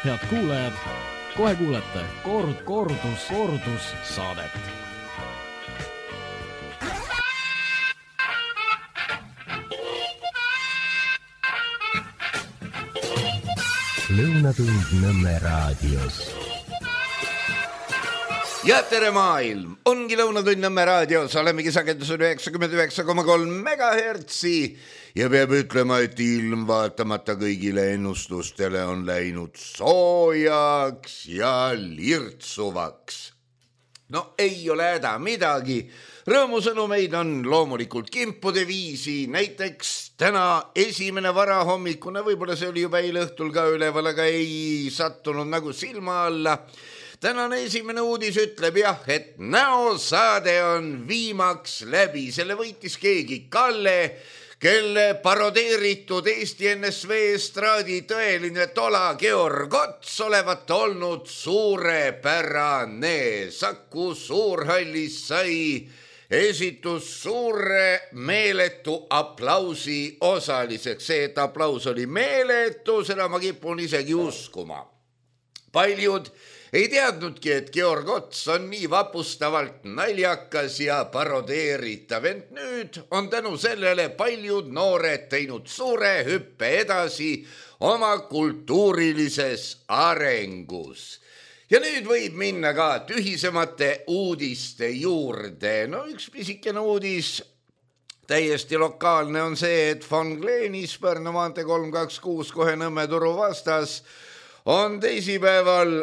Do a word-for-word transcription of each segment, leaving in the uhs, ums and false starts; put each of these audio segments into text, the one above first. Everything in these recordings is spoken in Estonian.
Head kuulajad, kohe kuulete kord, kordus, kordus saadet. Lõunatund Nõmme raadios. Ja tere maailm, ongi Lõunatund Nõmme raadios, olemegi sagedusel üheksakümmend üheksa koma kolm megahertsi ja peab ütlema, et ilm vaatamata kõigile ennustustele on läinud soojaks ja lirtsuvaks. No ei ole häda midagi, rõõmusõnumeid on loomulikult kimpude viisi, näiteks täna esimene varahommikune, võib-olla see oli juba eile õhtul ka üleval, aga ei sattunud nagu silma alla. Tänane esimene uudis ütleb jah, et näosaade on viimaks läbi, selle võitis keegi Kalle, kelle parodeeritud Eesti N S V estraadi tõeline tola Georg Ots olevat olnud suurepärane. Saku Suurhallis sai esitus suure meeletu aplausi osaliseks. See, et aplaus oli meeletu, seda ma kipun isegi uskuma. Paljud ei teadnudki, et Georg Ots on nii vapustavalt naljakas ja parodeeritav, ent nüüd on tänu sellele paljud noored teinud suure hüppe edasi oma kultuurilises arengus. Ja nüüd võib minna ka tühisemate uudiste juurde. No üks pisikene uudis, täiesti lokaalne on see, et Von Gleenis Pärnu maantee kolm kaks kuus kohe Nõmme turu vastas on teisipäeval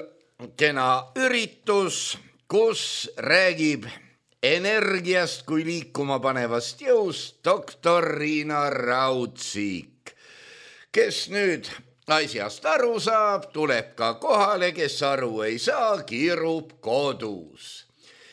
kena üritus, kus räägib energiast kui liikuma panevast jõust doktor Riina Raudsik, kes nüüd asjast aru saab, tuleb ka kohale, kes aru ei saa, kiirub kodus.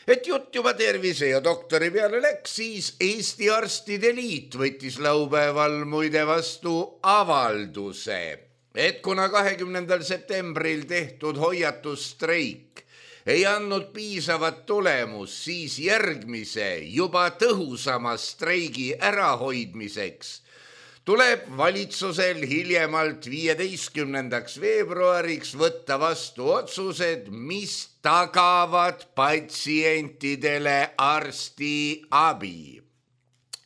Et jutt juba tervise ja doktori peale läks, siis Eesti Arstide Liit võttis laupäeval muide vastu avalduse, et kuna kahekümnendal septembril tehtud hoiatusstreik ei andnud piisavat tulemus, siis järgmise juba tõhusama streigi ärahoidmiseks tuleb valitsusel hiljemalt viieteistkümnendaks veebruariks võtta vastu otsused, mis tagavad patsientidele arsti abi.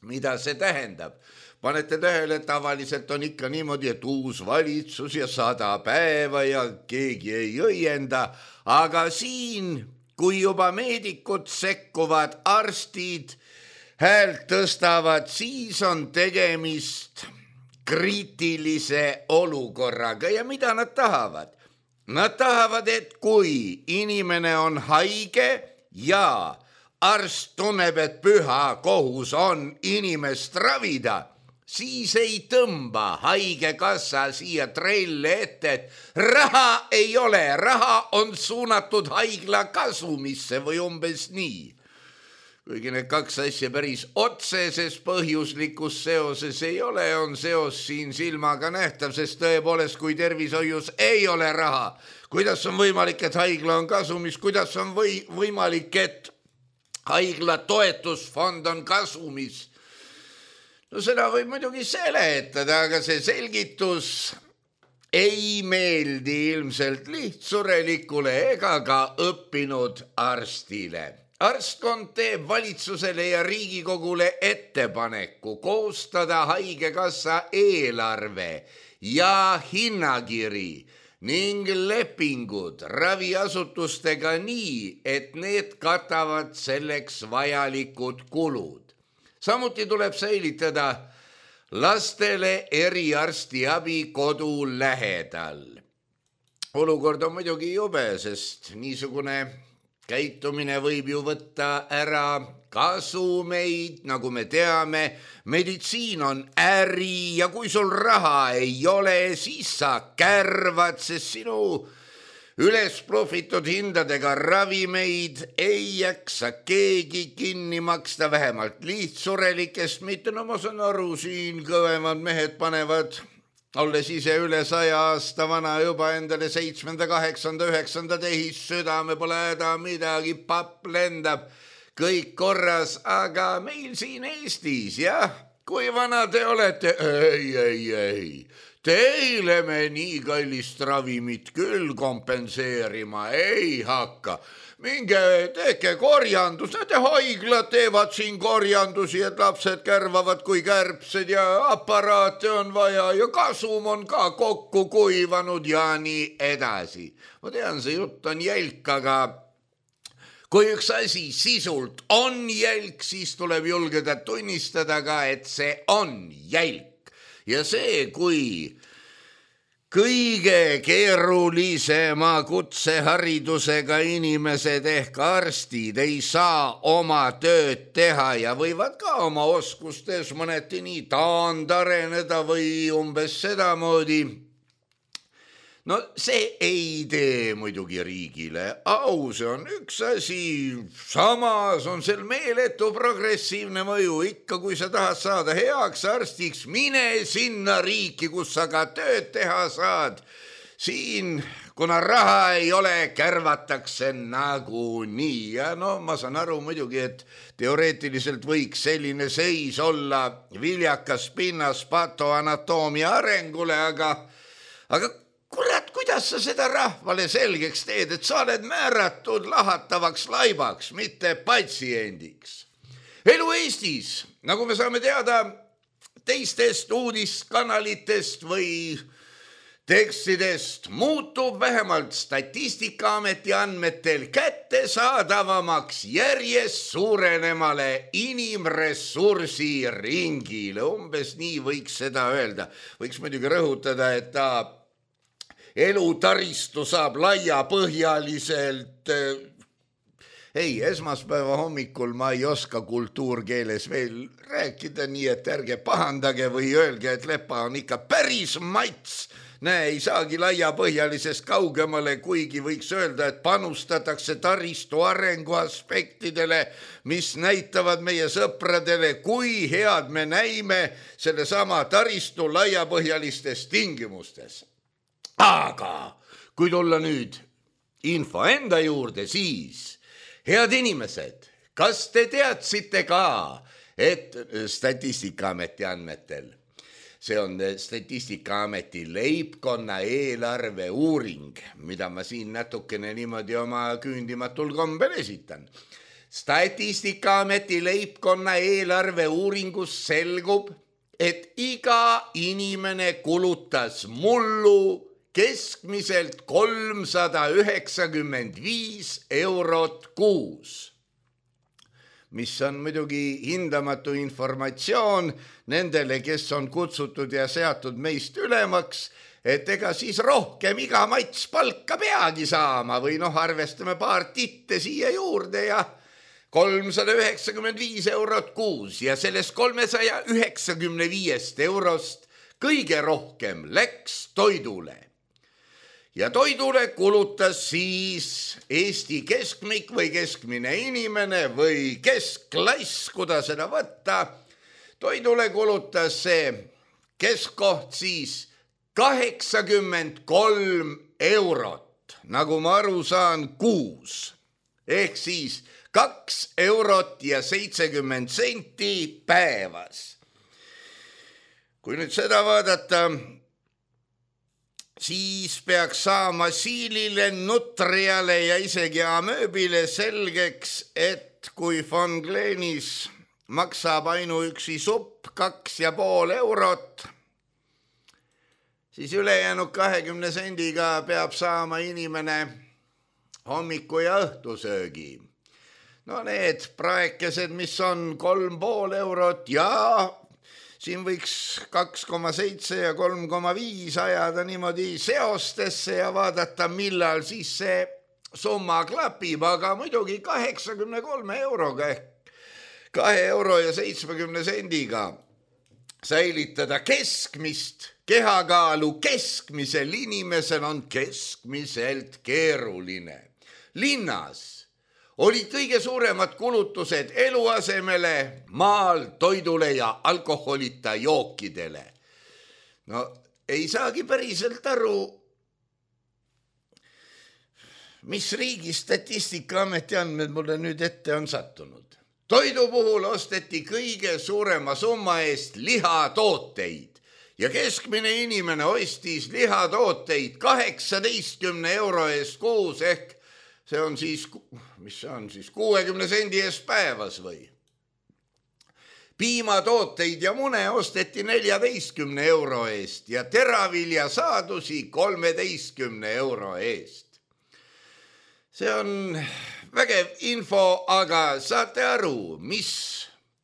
Mida see tähendab? Panete tähele, et tavaliselt on ikka niimoodi, et uus valitsus ja sada päeva ja keegi ei õienda, aga siin, kui juba meedikud sekkuvad, arstid häält tõstavad, siis on tegemist kriitilise olukorraga ja mida nad tahavad? Nad tahavad, et kui inimene on haige ja arst tunneb, et püha kohus on inimest ravida, siis ei tõmba haigekassa siia treille ette, et raha ei ole, raha on suunatud haigla kasumisse või umbes nii. Kuigi need kaks asja päris otseses põhjuslikus seoses ei ole, on seos siin silmaga nähtav, sest tõepoolest, kui tervishoius ei ole raha, kuidas on võimalik, et haigla on kasumis, kuidas on või, võimalik, et haigla toetusfond on kasumis. No seda võib muidugi seletada, aga see selgitus ei meeldi ilmselt lihtsurelikule ega ka õppinud arstile. Arstkond teeb valitsusele ja Riigikogule ettepaneku koostada haigekassa eelarve ja hinnakiri ning lepingud raviasutustega nii, et need katavad selleks vajalikud kulud. Samuti tuleb säilitada lastele eriarstiabi kodu lähedal. Olukord on muidugi jube, sest niisugune käitumine võib ju võtta ära kasumeid, nagu me teame. Meditsiin on äri ja kui sul raha ei ole, siis sa kärvad, sest sinu üles profitud hindadega ravimeid ei jaksa keegi kinni maksta, vähemalt lihtsurelikest mitte. No ma saan aru, siin kõvemad mehed panevad, olles ise üle saja aasta vana juba endale seitsmenda, kaheksanda, üheksanda tehis, südame pole häda midagi, papp lendab, kõik korras, aga meil siin Eestis, jah, kui vana te olete? Ei, ei, ei. Teile me nii kallist ravimit küll kompenseerima ei hakka. Minge tehke korjandus, nende haiglad teevad siin korjandusi, et lapsed kärvavad kui kärbsed ja aparaate on vaja ja kasum on ka kokku kuivanud ja nii edasi. Ma tean, see jutt on jälk, aga kui üks asi sisult on jälk, siis tuleb julgeda tunnistada ka, et see on jälk. Ja see, kui kõige keerulisema kutseharidusega inimesed ehk arstid ei saa oma tööd teha ja võivad ka oma oskustes mõneti nii taandareneda või umbes sedamoodi. No see ei tee muidugi riigile au, see on üks asi, samas on sel meeletu progressiivne mõju. Ikka kui sa tahad saada heaks arstiks, mine sinna riiki, kus sa ka tööd teha saad. Siin, kuna raha ei ole, kärvatakse nagu nii. Ja no ma saan aru muidugi, et teoreetiliselt võiks selline seis olla viljakas pinnas patoanatoomia arengule, aga, aga kurat, kuidas sa seda rahvale selgeks teed, et sa oled määratud lahatavaks laibaks, mitte patsiendiks. Elu Eestis, nagu me saame teada teistest uudiskanalitest või tekstidest, muutub vähemalt Statistikaameti andmetel kättesaadavamaks järjest suurenemale inimressursi ringile. Umbes nii võiks seda öelda. Võiks muidugi rõhutada, et ta elutaristu saab laiapõhjaliselt. Ei, esmaspäeva hommikul ma ei oska kultuurkeeles veel rääkida, nii et ärge pahandage või öelge, et lepa on ikka päris mats. Näe, ei saagi laiapõhjalisest kaugemale, kuigi võiks öelda, et panustatakse taristu arengu aspektidele, mis näitavad meie sõpradele, kui head me näime selle sama taristu laiapõhjalistes tingimustes. Aga kui tulla nüüd info enda juurde, siis head inimesed, kas te teadsite ka, et Statistikaameti andmetel, see on Statistikaameti leibkonna eelarve uuring, mida ma siin natukene niimoodi oma küündimatul kombel esitan. Statistikaameti leibkonna eelarve uuringus selgub, et iga inimene kulutas mullu keskmiselt kolmsada üheksakümmend viis eurot kuus, mis on muidugi hindamatu informatsioon nendele, kes on kutsutud ja seatud meist ülemaks, et ega siis rohkem iga mats palka peagi saama või noh, arvestame paar titte siia juurde ja kolmsada üheksakümmend viis eurot kuus ja sellest kolmesaja üheksakümne viiest eurost kõige rohkem läks toidule. Ja toidule kulutas siis Eesti keskmik või keskmine inimene või keskklass, kuda seda võtta. Toidule kulutas see keskkoht siis kaheksakümmend kolm eurot, nagu ma aru saan, kuus. Ehk siis kaks eurot ja seitsekümmend senti päevas. Kui nüüd seda vaadata, siis peaks saama siilile, nutriale ja isegi amööbile selgeks, et kui Von Glenis maksab ainuüksi supp kaks ja pool eurot, siis ülejäänud kahekümne sendiga peab saama inimene hommiku ja õhtusöögi. No need praekesed, mis on kolm pool eurot ja siin võiks kaks koma seitse ja kolm koma viis ajada niimoodi seostesse ja vaadata, millal siis see summa klapib, aga muidugi kaheksakümne kolme euroga ehk kahe euro ja seitsmekümne sendiga säilitada keskmist kehakaalu keskmisel inimesel on keskmiselt keeruline. Linnas olid kõige suuremad kulutused eluasemele, maal, toidule ja alkoholita jookidele. No ei saagi päriselt aru, mis riigi Statistikaameti andmed mulle nüüd ette on sattunud. toidu puhul osteti kõige suurema summa eest lihatooteid ja keskmine inimene ostis lihatooteid kaheksateistkümne euro eest kuus ehk see on siis, mis see on siis, kuuekümne sendi eest päevas või? Piimatooteid ja mune osteti neljateistkümne euro eest ja teravilja saadusi kolmeteistkümne euro eest. See on vägev info, aga saate aru, mis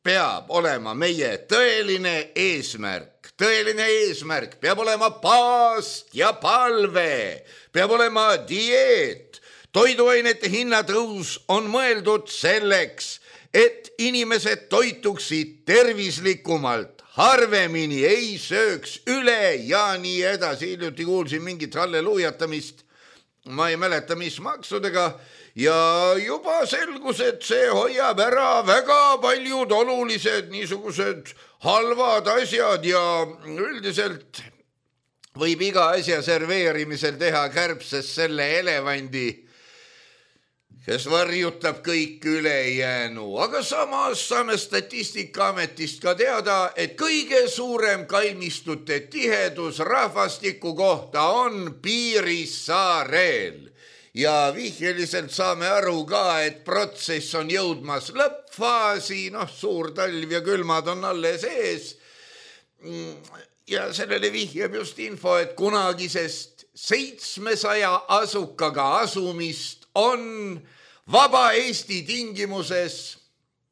peab olema meie tõeline eesmärk. Tõeline eesmärk peab olema paast ja palve, peab olema dieet. Toiduainete hinnatõus on mõeldud selleks, et inimesed toituksid tervislikumalt, harvemini ei sööks üle ja nii edasi. Hiljuti kuulsin mingit halleluujatamist, ma ei mäleta, mis maksudega, ja juba selgus, et see hoiab ära väga paljud olulised niisugused halvad asjad ja üldiselt võib iga asja serveerimisel teha kärbses selle elevandi, kes varjutab kõik ülejäänu. Aga samas saame Statistikaametist ka teada, et kõige suurem kalmistute tihedus rahvastiku kohta on Piirissaarel. Ja vihjeliselt saame aru ka, et protsess on jõudmas lõppfaasi, noh, suur talv ja külmad on alles ees. Ja sellele vihjab just info, et kunagisest seitsmesaja asukaga asumist on Vaba Eesti tingimuses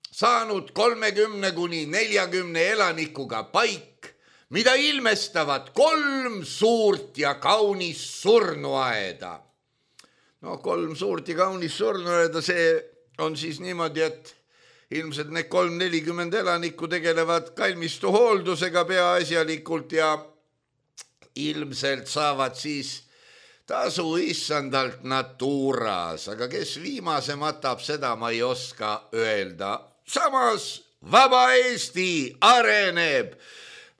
saanud kolmekümne kuni neljakümne elanikuga paik, mida ilmestavad kolm suurt ja kaunist surnuaeda. No kolm suurt ja kaunist surnuaeda, see on siis niimoodi, et ilmselt need kolm nelikümmend elanikku tegelevad kalmistu hooldusega peaasjalikult ja ilmselt saavad siis tasu issandalt Naturas, aga kes viimase matab, seda ma ei oska öelda. Samas Vaba Eesti areneb,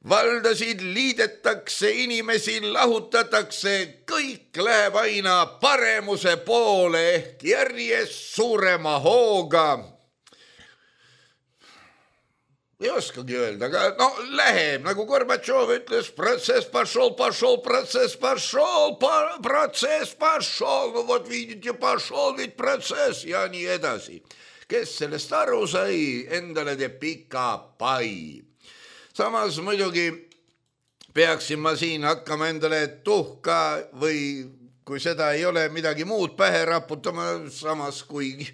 valdasid liidetakse, inimesi lahutatakse, kõik läheb aina paremuse poole ehk järjest suurema hooga. Ei oskagi öelda, aga no läheb, nagu Gorbatšov ütles, protsess pašol, pašol, protsess pašol, protsess pašol, no vot viidite, pašol, viid protsess ja nii edasi. Kes sellest aru sai, endale teeb pika pai. Samas muidugi peaksin ma siin hakkama endale tuhka või kui seda ei ole midagi muud pähe raputama, samas kui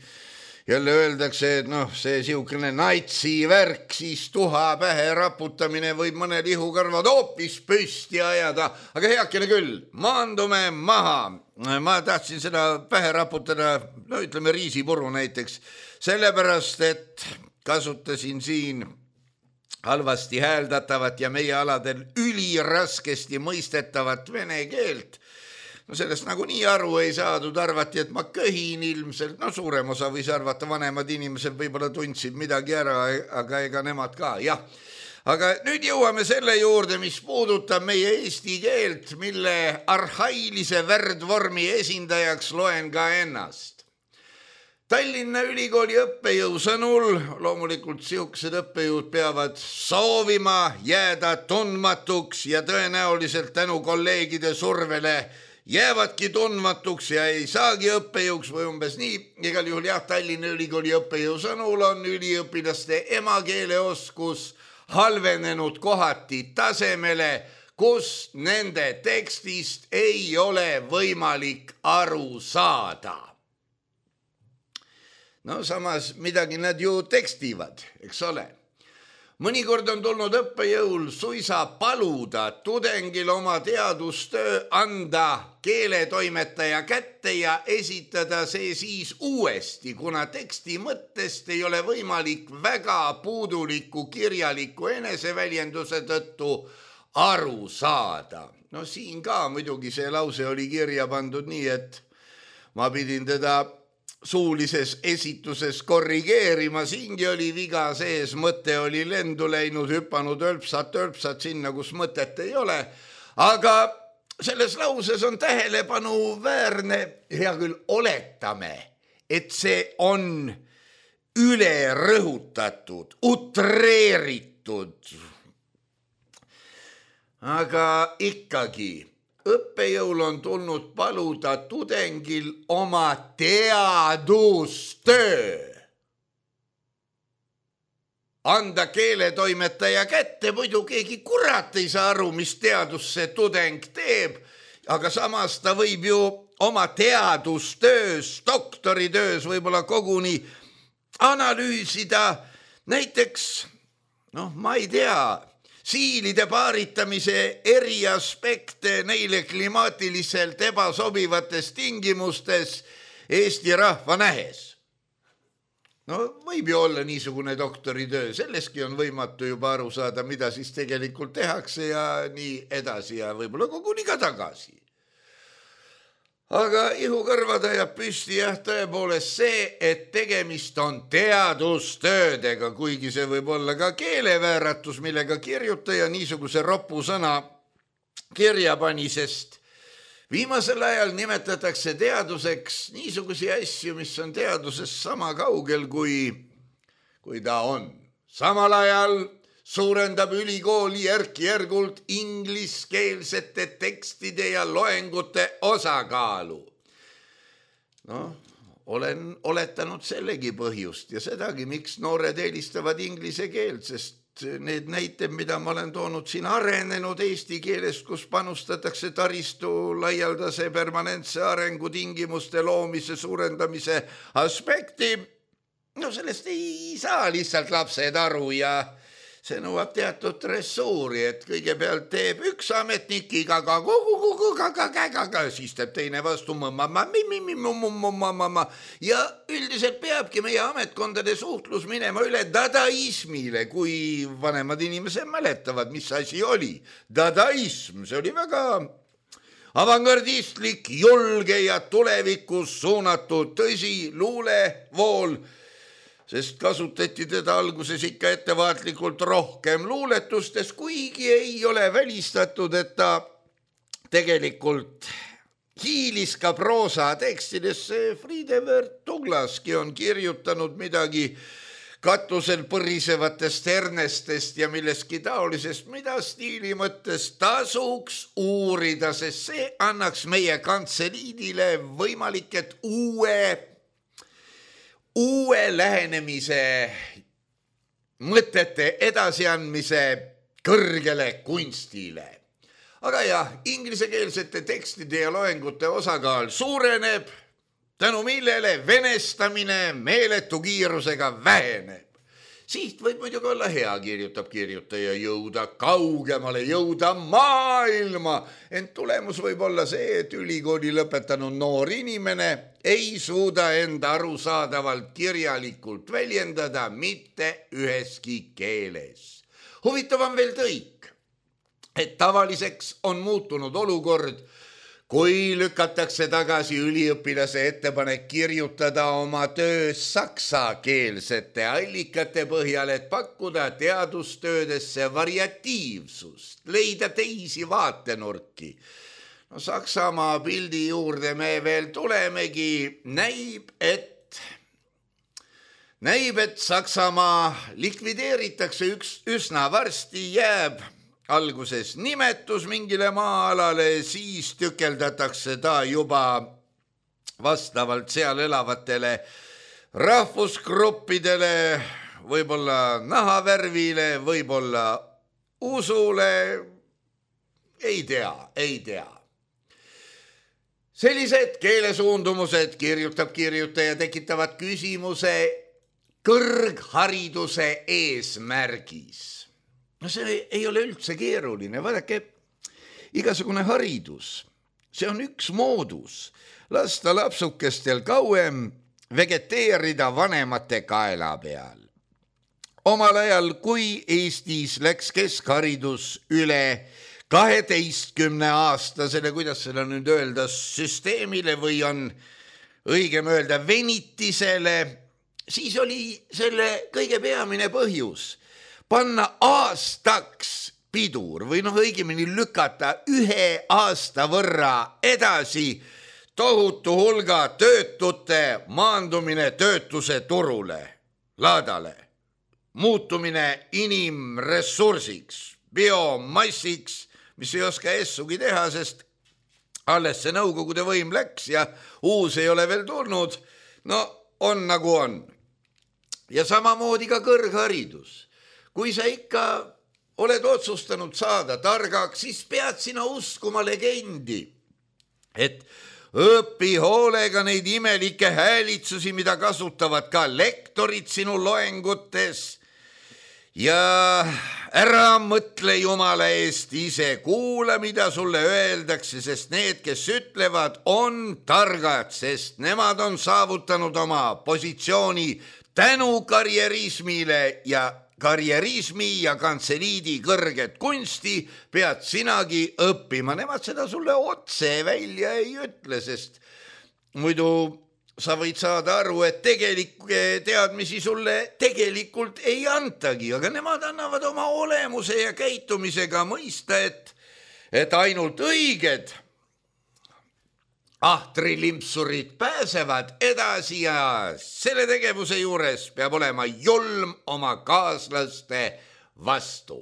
jälle öeldakse, et noh, see siukene natsi värk, siis tuha pähe raputamine võib mõne lihukarvad hoopis püsti ajada, aga heakene küll, maandume maha. Ma tahtsin seda pähe raputada, no ütleme riisipuru näiteks, sellepärast, et kasutasin siin halvasti hääldatavat ja meie aladel üliraskesti mõistetavat vene keelt. No sellest nagu nii aru ei saadud, arvati, et ma köhin ilmselt, no suurem osa võis arvata, vanemad inimesed võib-olla tundsid midagi ära, aga ega nemad ka, jah. Aga nüüd jõuame selle juurde, mis puudutab meie eesti keelt, mille arhailise värdvormi esindajaks loen ka ennast. Tallinna Ülikooli õppejõu sõnul, loomulikult siuksed õppejõud peavad soovima jääda tundmatuks ja tõenäoliselt tänu kolleegide survele jäävadki tundmatuks ja ei saagi õppejõuks või umbes nii. Igal juhul jah, Tallinna Ülikooli õppejõu sõnul on üliõpilaste emakeeleoskus halvenenud kohati tasemele, kus nende tekstist ei ole võimalik aru saada. No samas midagi nad ju tekstivad, eks ole. Mõnikord on tulnud õppejõul suisa paluda tudengil oma teadustöö anda keeletoimetaja kätte ja esitada see siis uuesti, kuna teksti mõttest ei ole võimalik väga puuduliku kirjaliku eneseväljenduse tõttu aru saada. No siin ka muidugi see lause oli kirja pandud nii, et ma pidin teda suulises esituses korrigeerima, siingi oli viga sees, mõte oli lendu läinud, hüpanud ölpsat, ölpsat sinna, kus mõtet ei ole. Aga selles lauses on tähelepanu väärne, hea küll, oletame, et see on üle rõhutatud, utreeritud. Aga ikkagi õppejõul on tulnud paluda tudengil oma teadustöö anda keeletoimetaja kätte, muidu keegi kurat ei saa aru, mis teadus see tudeng teeb, aga samas ta võib ju oma teadustöös, doktoritöös võib-olla koguni analüüsida näiteks, noh, ma ei tea, siilide paaritamise eri aspekte neile klimaatiliselt ebasobivates tingimustes Eesti rahva nähes. No võib ju olla niisugune doktoritöö, selleski on võimatu juba aru saada, mida siis tegelikult tehakse ja nii edasi ja võib-olla koguni ka tagasi. Aga ihukõrvad ajab püsti jah tõepoolest see, et tegemist on teadustöödega, kuigi see võib olla ka keelevääratus, millega kirjutaja niisuguse roppu sõna kirja pani, sest viimasel ajal nimetatakse teaduseks niisugusi asju, mis on teadusest sama kaugel, kui, kui ta on. Samal ajal suurendab ülikool järk-järgult ingliskeelsete tekstide ja loengute osakaalu. No, olen oletanud sellegi põhjust ja sedagi, miks noored eelistavad inglise keelt, sest need näited, mida ma olen toonud siin arenenud eesti keelest, kus panustatakse taristu laialdase permanentse arengutingimuste loomise suurendamise aspekti, no sellest ei saa lihtsalt lapsed aru ja see nõuab teatud ressuuri, et kõigepealt teeb üks ametnik igaga, siis teeb teine vastu ja üldiselt peabki meie ametkondade suhtlus minema üle dadaismile, kui vanemad inimesed mäletavad, mis asi oli. Dadaism, see oli väga avangardistlik, julge ja tulevikus suunatud tõsi luulevool, sest kasutati teda alguses ikka ettevaatlikult rohkem luuletustes, kuigi ei ole välistatud, et ta tegelikult hiilis ka proosa tekstidesse. Friedewert Douglaski on kirjutanud midagi katusel põrisevatest hernestest ja millestki taolisest, mida stiili mõttes tasuks uurida, sest see annaks meie kantseliidile võimalik, et uue uue lähenemise mõtete edasiandmise kõrgele kunstile. Aga jah, inglisekeelsete tekstide ja loengute osakaal suureneb, tänu millele venestamine meeletu kiirusega väheneb. Siht võib muidugi olla hea, kirjutab kirjutaja, jõuda kaugemale, jõuda maailma, ent tulemus võib olla see, et ülikooli lõpetanud noor inimene ei suuda enda arusaadavalt kirjalikult väljendada mitte üheski keeles. Huvitav on veel tõik, et tavaliseks on muutunud olukord, kui lükatakse tagasi üliõpilase ettepanek kirjutada oma töö saksakeelsete allikate põhjal, et pakkuda teadustöödesse variatiivsust, leida teisi vaatenurki. No, Saksamaa pildi juurde me veel tulemegi, näib, et, näib, et Saksamaa likvideeritakse üks üsna varsti, jääb alguses nimetus mingile maa-alale, siis tükeldatakse ta juba vastavalt seal elavatele rahvusgruppidele, võib-olla nahavärvile, võib-olla usule, ei tea, ei tea. Sellised keelesuundumused, kirjutab kirjutaja, tekitavad küsimuse kõrghariduse eesmärgis. No see ei ole üldse keeruline, vaadake, igasugune haridus, see on üks moodus, lasta lapsukestel kauem vegeteerida vanemate kaela peal. Omal ajal, kui Eestis läks keskharidus üle kaheteistkümne aastasele, kuidas seda nüüd öelda, süsteemile või on õigem öelda venitisele, siis oli selle kõige peamine põhjus panna aastaks pidur või noh, õigemini lükata ühe aasta võrra edasi tohutu hulga töötute maandumine töötuse turule. laadale. Muutumine inimressursiks, biomassiks, mis ei oska essugi teha, sest alles see nõukogude võim läks ja uus ei ole veel tulnud. No on nagu on. Ja samamoodi ka kõrgharidus. Kui sa ikka oled otsustanud saada targaks, siis pead sina uskuma legendi, et õpi hoolega neid imelikke häälitsusi, mida kasutavad ka lektorid sinu loengutes ja ära mõtle Jumala eest ise, kuula, mida sulle öeldakse, sest need, kes ütlevad, on targad, sest nemad on saavutanud oma positsiooni tänu karjerismile ja karjerismi ja kantseliidi kõrget kunsti pead sinagi õppima. Nemad seda sulle otse välja ei ütle, sest muidu sa võid saada aru, et tegelikke teadmisi sulle tegelikult ei antagi, aga nemad annavad oma olemuse ja käitumisega mõista, et, et ainult õiged ahtri-limpsurid pääsevad edasi ja selle tegevuse juures peab olema julm oma kaaslaste vastu.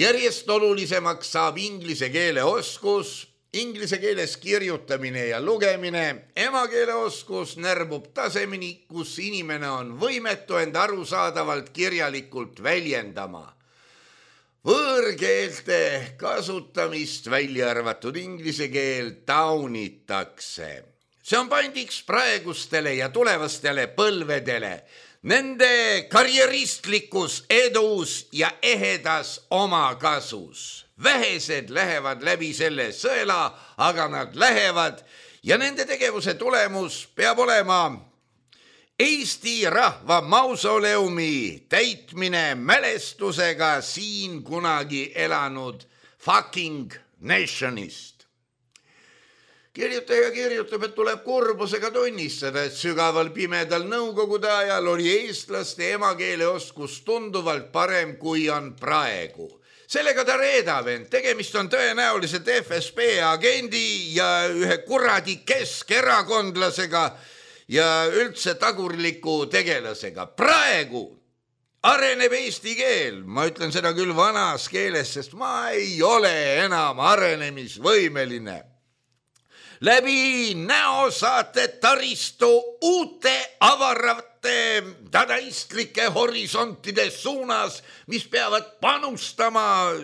Järjest olulisemaks saab inglise keele oskus, inglise keeles kirjutamine ja lugemine, emakeele oskus närbub tasemeni, kus inimene on võimetu end arusaadavalt kirjalikult väljendama. Võõrkeelte kasutamist välja arvatud inglise keel taunitakse. See on pandiks praegustele ja tulevastele põlvedele. Nende karjeristlikus edus ja ehedas omakasus. Vähesed lähevad läbi selle sõela, aga nad lähevad ja nende tegevuse tulemus peab olema Eesti rahva mausoleumi täitmine mälestusega siin kunagi elanud fucking nationist. Kirjutaja kirjutab, et tuleb kurbusega tunnistada, et sügaval pimedal nõukogude ajal oli eestlaste emakeele oskus tunduvalt parem, kui on praegu. Sellega ta reedab end, tegemist on tõenäoliselt F S B agendi ja ühe kuradi keskerakondlasega ja üldse tagurliku tegelasega. Praegu areneb eesti keel, ma ütlen seda küll vanas keeles, sest ma ei ole enam arenemisvõimeline. Läbi näosaate taristu uute avarate dadaistlike horisontide suunas, mis peavad panustama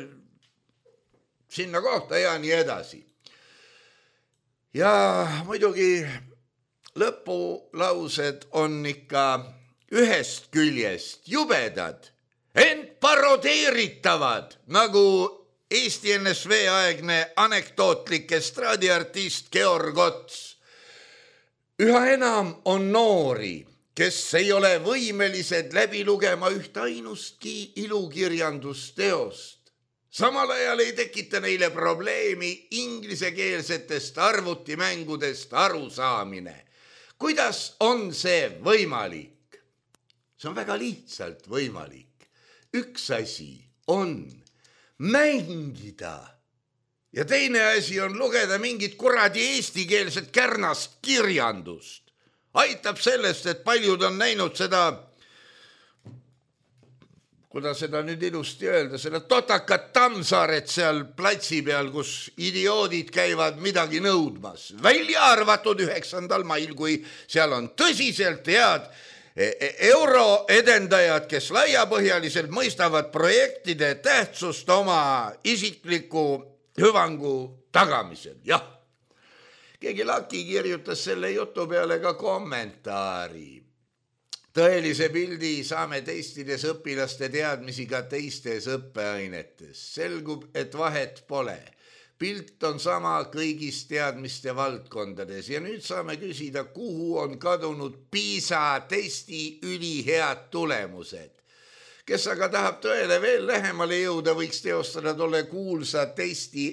sinna kohta ja nii edasi. Ja muidugi lõpulaused on ikka ühest küljest jubedad, ent parodeeritavad, nagu Eesti N S V aegne anekdootlik estraadiartist Georg Ots. Üha enam on noori, kes ei ole võimelised läbi lugema üht ainustki ilukirjandusteost. Samal ajal ei tekita neile probleemi inglisekeelsetest arvutimängudest arusaamine. Kuidas on see võimalik? See on väga lihtsalt võimalik. Üks asi on mängida ja teine asi on lugeda mingit kuradi eestikeelset kärnast kirjandust. Aitab sellest, et paljud on näinud seda, kuidas seda nüüd ilusti öelda, selle totakat Tammsaaret seal platsi peal, kus idioodid käivad midagi nõudmas. Välja arvatud üheksandal mail, kui seal on tõsiselt head euroedendajad, kes laiapõhjaliselt mõistavad projektide tähtsust oma isikliku hüvangu tagamisel. Jah, keegi Laki kirjutas selle jutu peale ka kommentaari. Tõelise pildi saame testides õpilaste õppimisega ka teistes õppeainetes. Selgub, et vahet pole. Pilt on sama kõigis teadmiste valdkondades ja nüüd saame küsida, kuhu on kadunud PISA testi ülihead tulemused. Kes aga tahab tõele veel lähemale jõuda, võiks teostada tolle kuulsa testi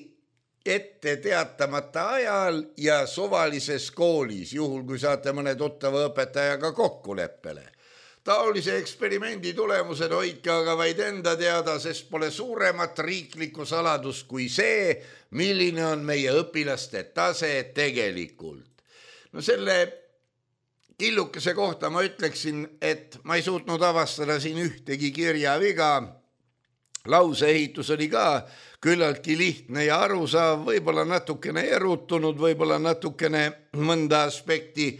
ette teatamata ajal ja suvalises koolis, juhul kui saate mõne tuttava õpetajaga kokkuleppele. Taolise eksperimendi tulemused hoidke aga vaid enda teada, sest pole suuremat riiklikku saladust kui see, milline on meie õpilaste tase tegelikult. No selle Killukese kohta ma ütleksin, et ma ei suutnud avastada siin ühtegi kirjaviga. Lauseehitus oli ka küllaltki lihtne ja arusaав, võib-olla natukene erutunud, võib-olla natukene mõnda aspekti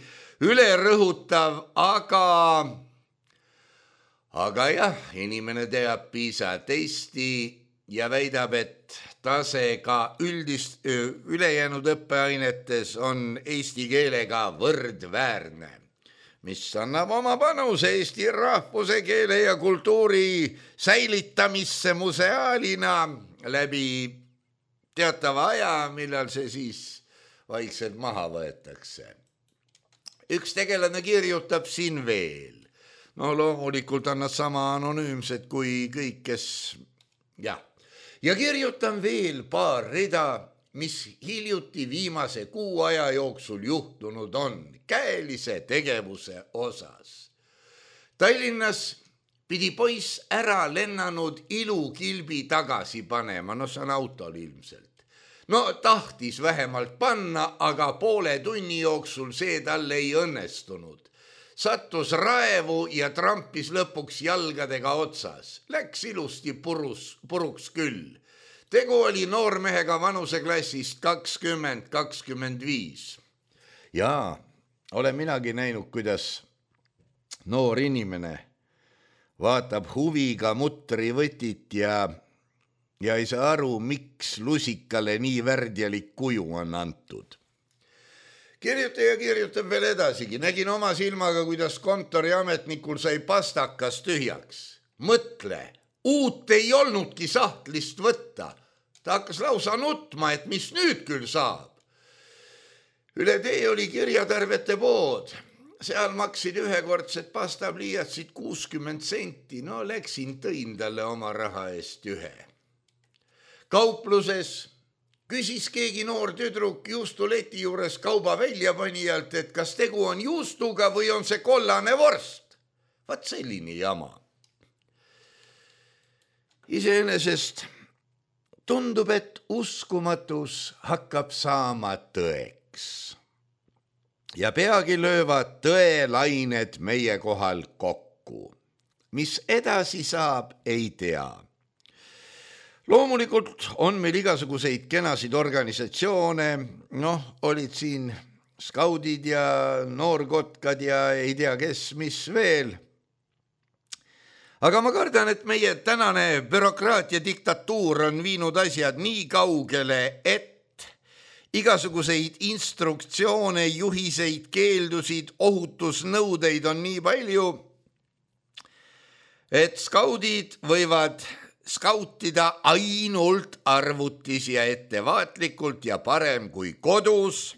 üle rõhutav, aga, aga jah, inimene teab PISA testi ja väidab, et tase ka üldist ülejäänud õppeainetes on eesti keelega võrdväärne, mis annab oma panuse eesti rahvuse, keele ja kultuuri säilitamisse museaalina läbi teatava aja, millal see siis vaikselt maha võetakse. Üks tegelane kirjutab siin veel. No loomulikult on nad sama anonüümsed kui kõik, kes... jah. Ja kirjutan veel paar rida, mis hiljuti viimase kuu aja jooksul juhtunud on käelise tegevuse osas. Tallinnas pidi poiss ära lennanud ilukilbi tagasi panema, no see on autol ilmselt. No tahtis vähemalt panna, aga poole tunni jooksul see talle ei õnnestunud. Sattus raevu ja trampis lõpuks jalgadega otsas. Läks ilusti purus, puruks küll. Tegu oli noormehega vanuseklassist kakskümmend kakskümmend viis. Jaa, olen minagi näinud, kuidas noor inimene vaatab huviga mutrivõtit ja, ja ei saa aru, miks lusikale nii värdjalik kuju on antud. Kirjutaja kirjutab veel edasigi. Nägin oma silmaga, kuidas kontoriametnikul sai pastakas tühjaks. Mõtle, uut ei olnudki sahtlist võtta. Ta hakkas lausa nutma, et mis nüüd küll saab. Üle tee oli kirjatärvete pood. Seal maksid ühekordsed pastapliiatsid kuuskümmend senti. No läksin, tõin talle oma raha eest ühe. Kaupluses küsis keegi noor tüdruk juustuleti juures kauba väljapanijalt, et kas tegu on juustuga või on see kollane vorst. Vaat selline jama. Iseenesest tundub, et uskumatus hakkab saama tõeks. Ja peagi löövad tõelained meie kohal kokku. Mis edasi saab, ei tea. Loomulikult on meil igasuguseid kenasid organisatsioone, noh, olid siin skaudid ja noorkotkad ja ei tea kes, mis veel. Aga ma kardan, et meie tänane bürokraatia diktatuur on viinud asjad nii kaugele, et igasuguseid instruktsioone, juhiseid, keeldusid, ohutusnõudeid on nii palju, et skaudid võivad skautida ainult arvutis ja ettevaatlikult ja parem kui kodus,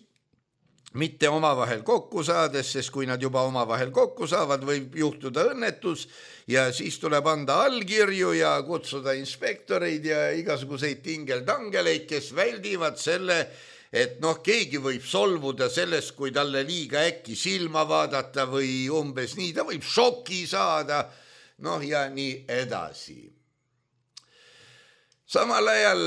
mitte omavahel kokku saades, sest kui nad juba omavahel kokku saavad, võib juhtuda õnnetus ja siis tuleb anda allkirju ja kutsuda inspektoreid ja igasuguseid tingeldangeleid, kes väldivad selle, et noh, keegi võib solvuda sellest, kui talle liiga äkki silma vaadata või umbes nii, ta võib šoki saada, noh ja nii edasi. Samal ajal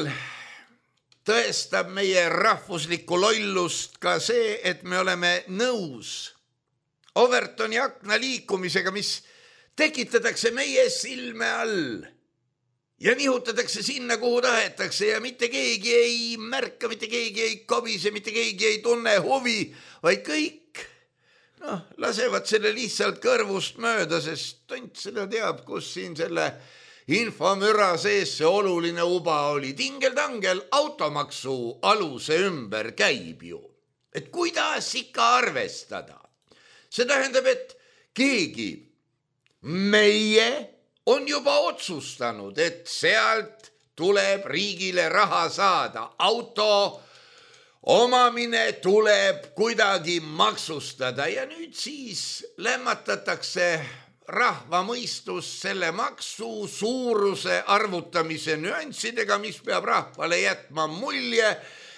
tõestab meie rahvuslikku lollust ka see, et me oleme nõus Overtoni akna liikumisega, mis tekitatakse meie silme all ja nihutatakse sinna, kuhu tahetakse ja mitte keegi ei märka, mitte keegi ei kobise, mitte keegi ei tunne huvi, vaid kõik noh, lasevad selle lihtsalt kõrvust mööda, sest tont seda teab, kus siin selle infomüra sees see oluline uba oli. Tingeldangel automaksu aluse ümber käib ju. Et kuidas ikka arvestada? See tähendab, et keegi meie on juba otsustanud, et sealt tuleb riigile raha saada. Auto omamine tuleb kuidagi maksustada ja nüüd siis lämmatatakse rahva mõistus selle maksu suuruse arvutamise nüanssidega, mis peab rahvale jätma mulje,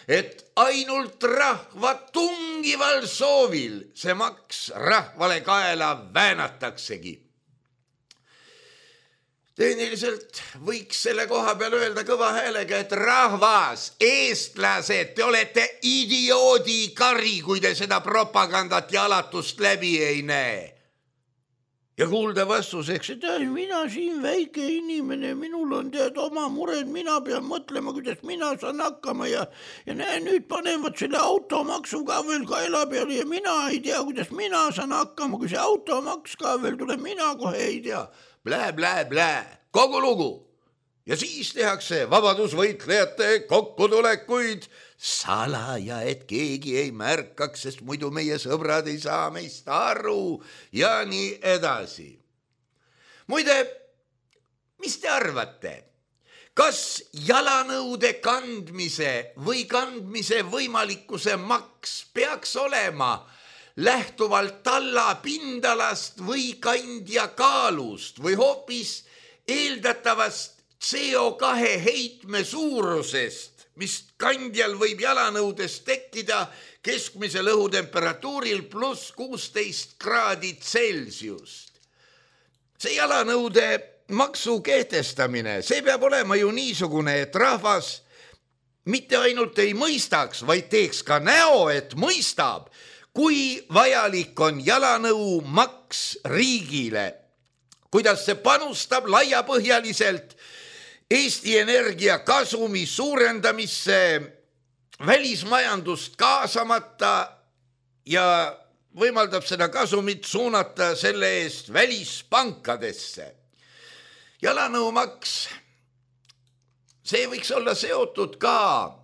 et ainult rahva tungival soovil see maks rahvale kaela väänataksegi. Tehniliselt võiks selle koha peal öelda kõva häälega, et rahvas, eestlased, te olete idioodi kari, kui te seda propagandat ja alatust läbi ei näe. Ja kuulda vastuseks, et äh, mina siin väike inimene, minul on tead oma mured, mina pean mõtlema, kuidas mina saan hakkama ja, ja näe, nüüd panevad selle automaksu ka veel kaela peale ja mina ei tea, kuidas mina saan hakkama, kui see automaks ka veel tuleb, mina kohe ei tea. Blää, blää, blää, kogu lugu. Ja siis tehakse vabadusvõitlejate kokkutulekuid salaja, et keegi ei märkaks, sest muidu meie sõbrad ei saa meist aru ja nii edasi. Muide, mis te arvate? Kas jalanõude kandmise või kandmise võimalikkuse maks peaks olema lähtuvalt talla pindalast või kandja kaalust või hoopis eeldatavast C O kahe heitme suurusest, mis kandjal võib jalanõudes tekkida keskmisel õhutemperatuuril pluss kuusteist kraadi Celsiust. See jalanõude maksu kehtestamine, see peab olema ju niisugune, et rahvas mitte ainult ei mõistaks, vaid teeks ka näo, et mõistab, kui vajalik on jalanõu maks riigile, kuidas see panustab laiapõhjaliselt Eesti Energia kasumi suurendamisse, välismajandust kaasamata ja võimaldab seda kasumit suunata selle eest välispankadesse. Jalanõumaks, see võiks olla seotud ka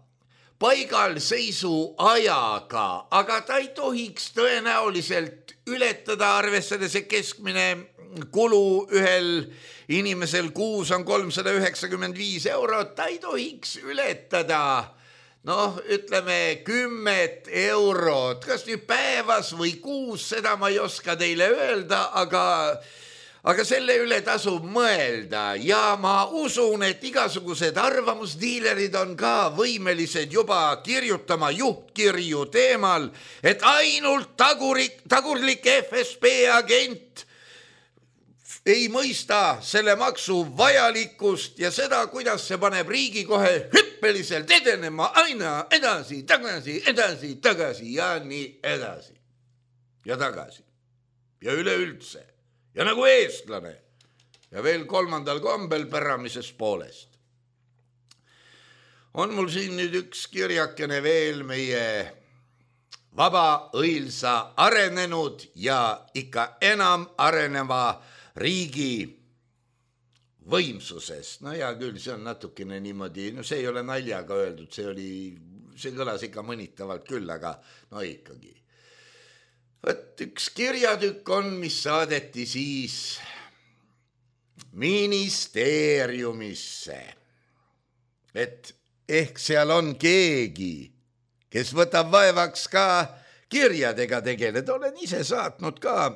paigalseisu ajaga, aga ta ei tohiks tõenäoliselt ületada, arvestades, et keskmine kulu ühel inimesel kuus on kolmsada üheksakümmend viis eurot, ta ei tohiks ületada, noh, ütleme kümmet eurot, kas nüüd päevas või kuus, seda ma ei oska teile öelda, aga Aga selle üle tasub mõelda ja ma usun, et igasugused arvamusdiilerid on ka võimelised juba kirjutama juhtkirju teemal, et ainult tagurik, tagurlik F S B agent ei mõista selle maksu vajalikkust ja seda, kuidas see paneb riigi kohe hüppeliselt edenema aina edasi, tagasi, edasi, tagasi ja nii edasi ja tagasi ja üleüldse. Ja nagu eestlane ja veel kolmandal kombel päramises poolest. On mul siin nüüd üks kirjakene veel meie vaba, õilsa, arenenud ja ikka enam areneva riigi võimsusest. No ja küll, see on natukene niimoodi, no see ei ole naljaga öeldud, see oli, see kõlas ikka mõnitavalt küll, aga no ikkagi. Võt üks kirjatükk on, mis saadeti siis ministeeriumisse, et ehk seal on keegi, kes võtab vaevaks ka kirjadega tegeleda. Olen ise saatnud ka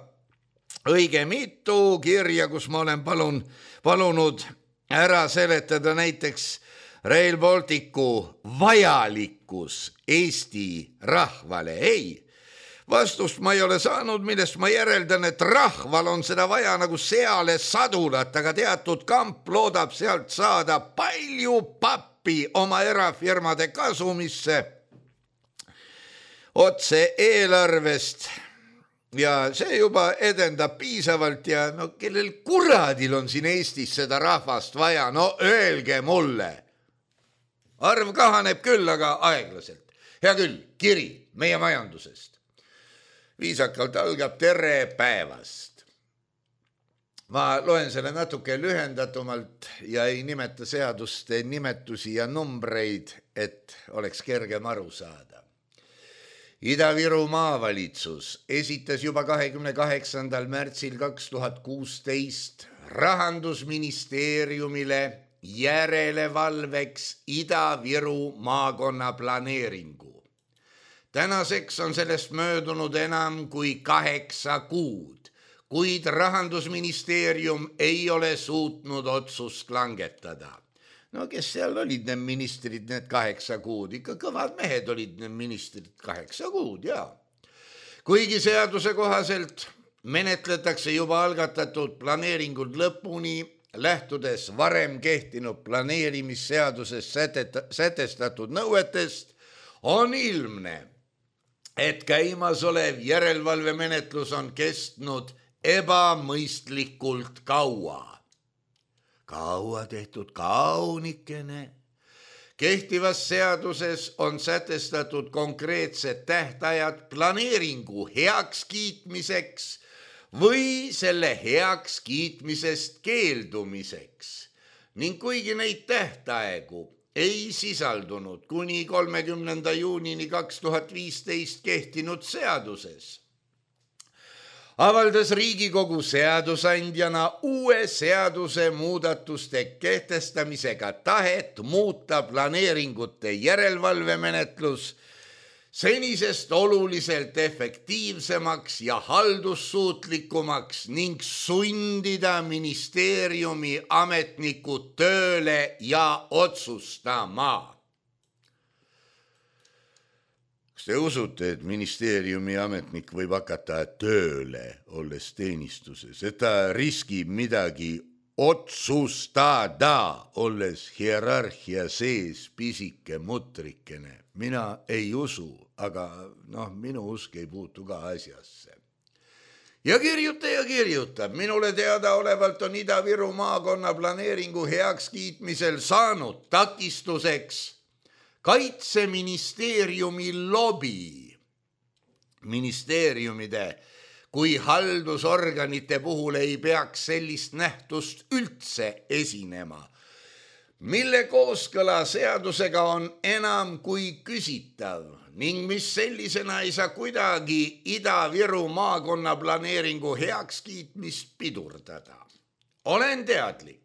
õige mitu kirja, kus ma olen palun, palunud ära seletada näiteks Rail Balticu vajalikkus Eesti rahvale. Ei, vastust ma ei ole saanud, millest ma järeldan, et rahval on seda vaja nagu seale sadulat, aga teatud kamp loodab sealt saada palju pappi oma erafirmade kasumisse otse eelarvest ja see juba edendab piisavalt ja no kellel kuradil on siin Eestis seda rahvast vaja, no öelge mulle. Arv kahaneb küll, aga aeglaselt. Hea küll, kiri meie majandusest. Viisakalt algab tere päevast. Ma loen selle natuke lühendatumalt ja ei nimeta seaduste nimetusi ja numbreid, et oleks kergem aru saada. Ida-Viru maavalitsus esitas juba kahekümne kaheksandal märtsil kaks tuhat kuusteist Rahandusministeeriumile järelevalveks Ida-Viru maakonna planeeringu. Tänaseks on sellest möödunud enam kui kaheksa kuud, kuid Rahandusministeerium ei ole suutnud otsust langetada. No kes seal olid need ministrid need kaheksa kuud? Ikka kõvad mehed olid need ministrid kaheksa kuud, jaa. Kuigi seaduse kohaselt menetletakse juba algatatud planeeringud lõpuni lähtudes varem kehtinud planeerimisseaduses sätestatud nõuetest, on ilmne, et käimasolev järelevalvemenetlus on kestnud ebamõistlikult kaua. Kaua tehtud kaunikene. Kehtivas seaduses on sätestatud konkreetsed tähtajad planeeringu heakskiitmiseks või selle heakskiitmisest keeldumiseks ning kuigi neid tähtaegu ei sisaldunud kuni kolmekümnenda juunini kaks tuhat viisteist kehtinud seaduses, avaldas Riigikogu seadusandjana uue seaduse muudatuste kehtestamisega tahet muuta planeeringute järelevalvemenetlus senisest oluliselt efektiivsemaks ja haldussuutlikumaks ning sundida ministeeriumi ametnikud tööle ja otsustama. Kas te usute, et ministeeriumi ametnik võib hakata tööle, olles teenistuses, et ta riskib midagi otsustada, olles hierarhia sees pisike mutrikene? Mina ei usu, aga noh, minu usk ei puutu ka asjasse. Ja kirjuta ja kirjutab, minule teada olevalt on Ida-Viru maakonna planeeringu heakskiitmisel saanud takistuseks Kaitseministeeriumi lobi. Ministeeriumide kui haldusorganite puhul ei peaks sellist nähtust üldse esinema, mille kooskõla seadusega on enam kui küsitav ning mis sellisena ei saa kuidagi Ida-Viru maakonna planeeringu heakskiitmist pidurdada. Olen teadlik,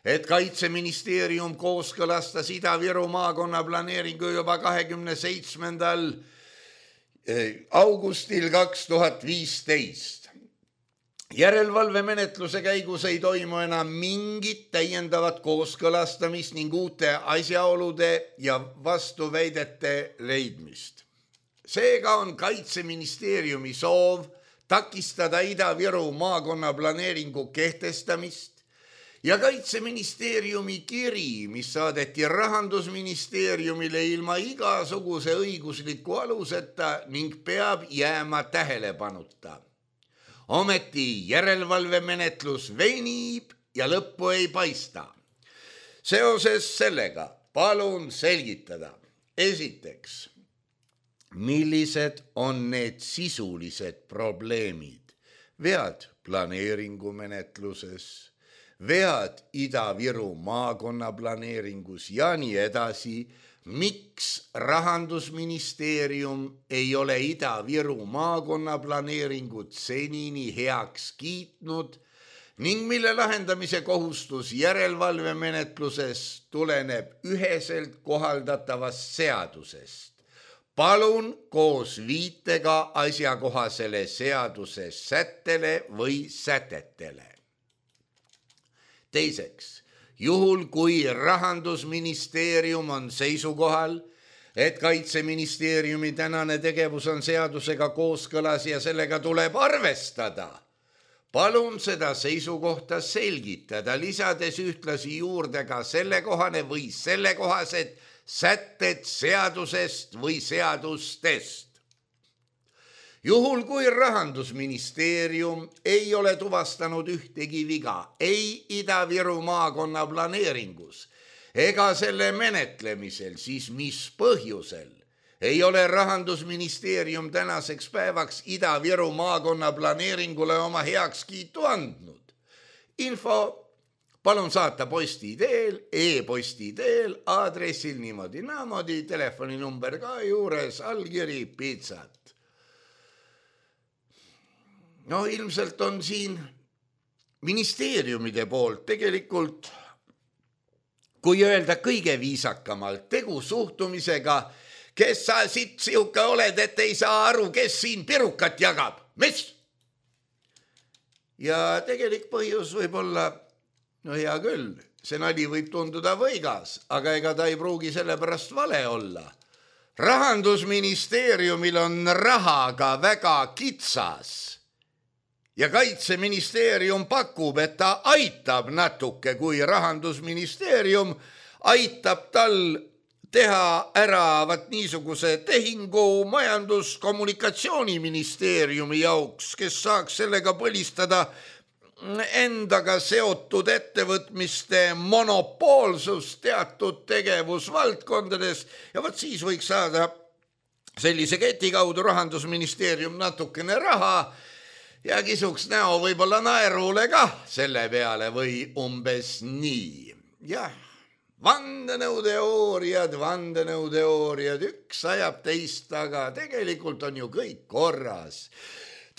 et Kaitseministeerium kooskõlastas Ida-Viru maakonna planeeringu juba kahekümne seitsmendal augustil kaks tuhat viisteist. Järelevalvemenetluse käigus ei toimu enam mingit täiendavat kooskõlastamist ning uute asjaolude ja vastuväidete leidmist. Seega on Kaitseministeeriumi soov takistada Ida-Viru maakonna planeeringu kehtestamist ja Kaitseministeeriumi kiri, mis saadeti Rahandusministeeriumile ilma igasuguse õigusliku aluseta ning peab jääma tähelepanuta. Ometi järelevalvemenetlus venib ja lõppu ei paista. Seoses sellega palun selgitada. Esiteks, millised on need sisulised probleemid? Vead planeeringumenetluses, vead Ida-Viru maakonna planeeringus ja nii edasi. Miks Rahandusministeerium ei ole Ida-Viru maakonna planeeringut senini heaks kiitnud ning mille lahendamise kohustus järelevalvemenetluses tuleneb üheselt kohaldatavast seadusest. Palun koos viitega asjakohasele seaduse sättele või sätetele. Teiseks, juhul kui Rahandusministeerium on seisukohal, et Kaitseministeeriumi tänane tegevus on seadusega kooskõlas ja sellega tuleb arvestada, palun seda seisukohta selgitada, lisades ühtlasi juurde ka sellekohane või sellekohased sätted seadusest või seadustest. Juhul kui Rahandusministeerium ei ole tuvastanud ühtegi viga ei Ida-Viru maakonna planeeringus ega selle menetlemisel, siis mis põhjusel ei ole Rahandusministeerium tänaseks päevaks Ida-Viru maakonna planeeringule oma heakskiitu andnud? Info palun saata posti teel, e-posti teel, aadressil niimoodi naamodi, telefoninumber ka juures, allkiri pitsat. No ilmselt on siin ministeeriumide poolt tegelikult, kui öelda kõige viisakamalt, tegu suhtumisega, kes sa siit sihuke oled, et ei saa aru, kes siin pirukat jagab. Mis? Ja tegelik põhjus võib olla, no hea küll, see nali võib tunduda võigas, aga ega ta ei pruugi sellepärast vale olla. Rahandusministeeriumil on rahaga väga kitsas. ja kaitseministeerium pakub, et ta aitab natuke, kui rahandusministeerium aitab tal teha ära vat niisuguse tehingu majandus-kommunikatsiooniministeeriumi jauks, kes saaks sellega põlistada endaga seotud ettevõtmiste monopoolsus teatud tegevusvaldkondades ja vat siis võiks saada sellise keti kaudu rahandusministeerium natukene raha ja kisuks näo võib-olla naerule kah selle peale või umbes nii. Jah, vandenõuteooriad, vandenõuteooriad, üks ajab teist, aga tegelikult on ju kõik korras.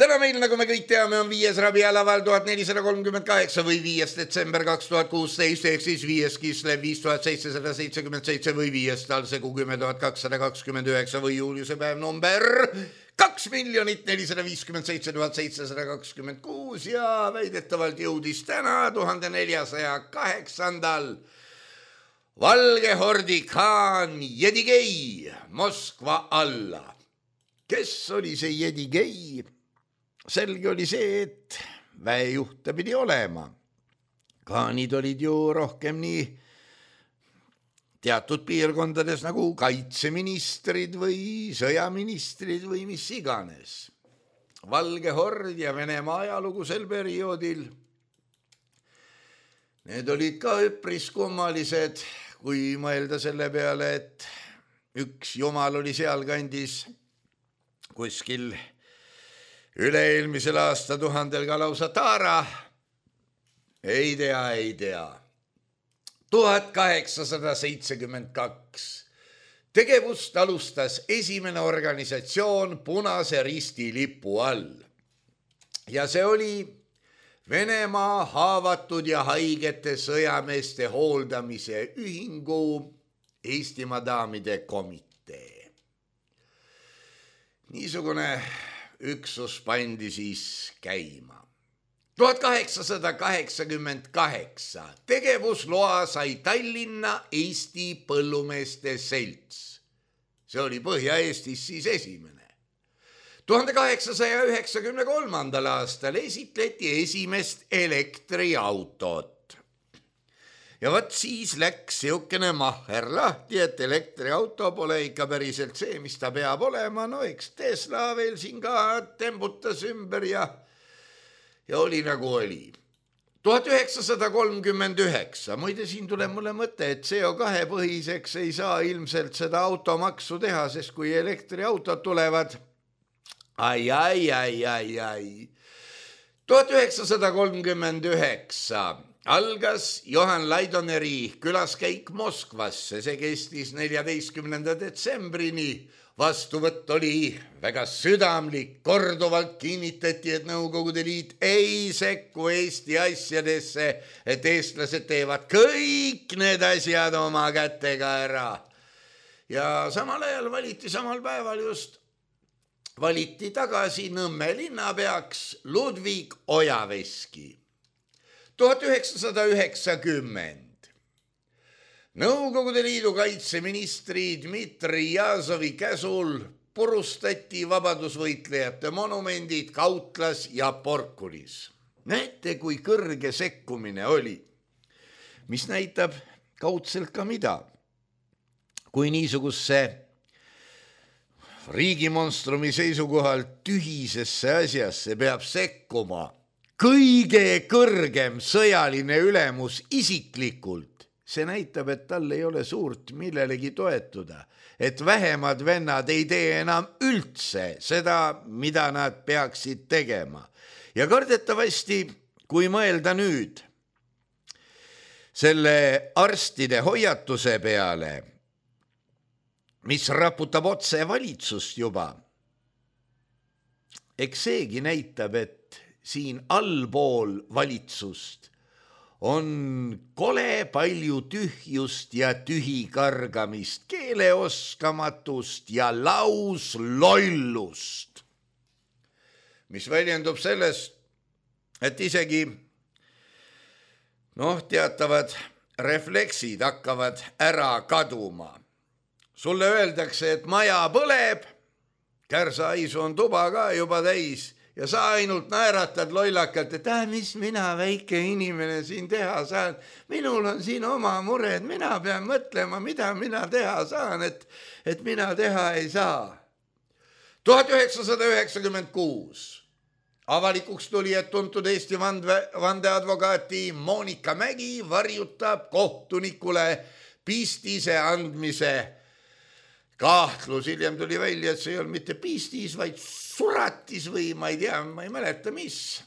Täna meil, nagu me kõik teame, on viies Rabiul Awwal tuhat nelisada kolmkümmend kaheksa või viies detsember kaks tuhat kuusteist, ehk siis viies Kislev viis tuhat seitsesada seitsekümmend seitse või viies Talsegu kümme tuhat kakssada kakskümmend üheksa või Juliuse päev number kaks miljonit nelisada viiskümmend seitse tuhat seitsesada kakskümmend kuus ja väidetavalt jõudis täna tuhande neljasaja kaheksandal Valge hordi khaan Jedigei Moskva alla. Kes oli see Jedigei? Selge oli see, et väejuhte pidi olema. Khaanid olid ju rohkem nii teatud piirkondades nagu kaitseministrid või sõjaministrid või mis iganes. Valge hord ja Venemaa ajalugu sel perioodil, need olid ka üpris kummalised, kui mõelda selle peale, et üks jumal oli sealkandis kuskil üle-eelmisel aastatuhandel ka lausa taara. Ei tea, ei tea. tuhat kaheksasada seitsekümmend kaks. Tegevust alustas esimene organisatsioon Punase Risti lipu all. Ja see oli Venemaa haavatud ja haigete sõjameeste hooldamise ühingu Eestimaa daamide komitee. Niisugune üksus pandi siis käima. tuhat kaheksasada kaheksakümmend kaheksa tegevusloa sai Tallinna Eesti Põllumeeste Selts. See oli Põhja-Eestis siis esimene. tuhande kaheksasaja üheksakümne kolmandal aastal esitleti esimest elektriautot. Ja vat siis läks siukene mahher lahti, et elektriauto pole ikka päriselt see, mis ta peab olema. No eks Tesla veel siin ka tembutas ümber ja, ja oli nagu oli. tuhat üheksasada kolmkümmend üheksa. Muide, siin tuleb mulle mõte, et C O kahe põhiseks ei saa ilmselt seda automaksu teha, sest kui elektriautod tulevad, ai, ai, ai, ai, ai. tuhat üheksasada kolmkümmend üheksa algas Johan Laidoneri külaskäik Moskvasse, see kestis neljateistkümnenda detsembrini. Vastuvõtt oli väga südamlik, korduvalt kinnitati, et Nõukogude Liit ei sekku Eesti asjadesse, et eestlased teevad kõik need asjad oma kätega ära. Ja samal ajal valiti samal päeval just, valiti tagasi Nõmme linnapeaks Ludvig Ojaveski. tuhat üheksasada üheksakümmend. Nõukogude Liidu kaitseministri Dmitri Jazovi käsul purustati vabadusvõitlejate monumendid Kautlas ja Porkulis. Näete, kui kõrge sekkumine oli, mis näitab kaudselt ka mida. Kui niisugusse riigimonstrumi seisukohalt tühisesse asjasse peab sekkuma kõige kõrgem sõjaline ülemus isiklikult, see näitab, et tal ei ole suurt millelegi toetuda, et vähemad vennad ei tee enam üldse seda, mida nad peaksid tegema. Ja kardetavasti, kui mõelda nüüd selle arstide hoiatuse peale, mis raputab otse valitsust juba, eks seegi näitab, et siin allpool valitsust on kole palju tühjust ja tühikargamist, keeleoskamatust ja lauslollust, mis väljendub sellest, et isegi noh, teatavad refleksid hakkavad ära kaduma. Sulle öeldakse, et maja põleb, kärsahaisu on tuba ka juba täis, ja sa ainult naeratad lollakalt, et äh, mis mina väike inimene siin teha saan. Minul on siin oma mured, mina pean mõtlema, mida mina teha saan, et, et mina teha ei saa. tuhat üheksasada üheksakümmend kuus avalikuks tuli, et tuntud Eesti vande, vandeadvokaati Monika Mägi varjutab kohtunikule pistise andmise kahtlus. Hiljem tuli välja, et see ei olnud mitte pistis, vaid suratis või ma ei tea, ma ei mäleta mis.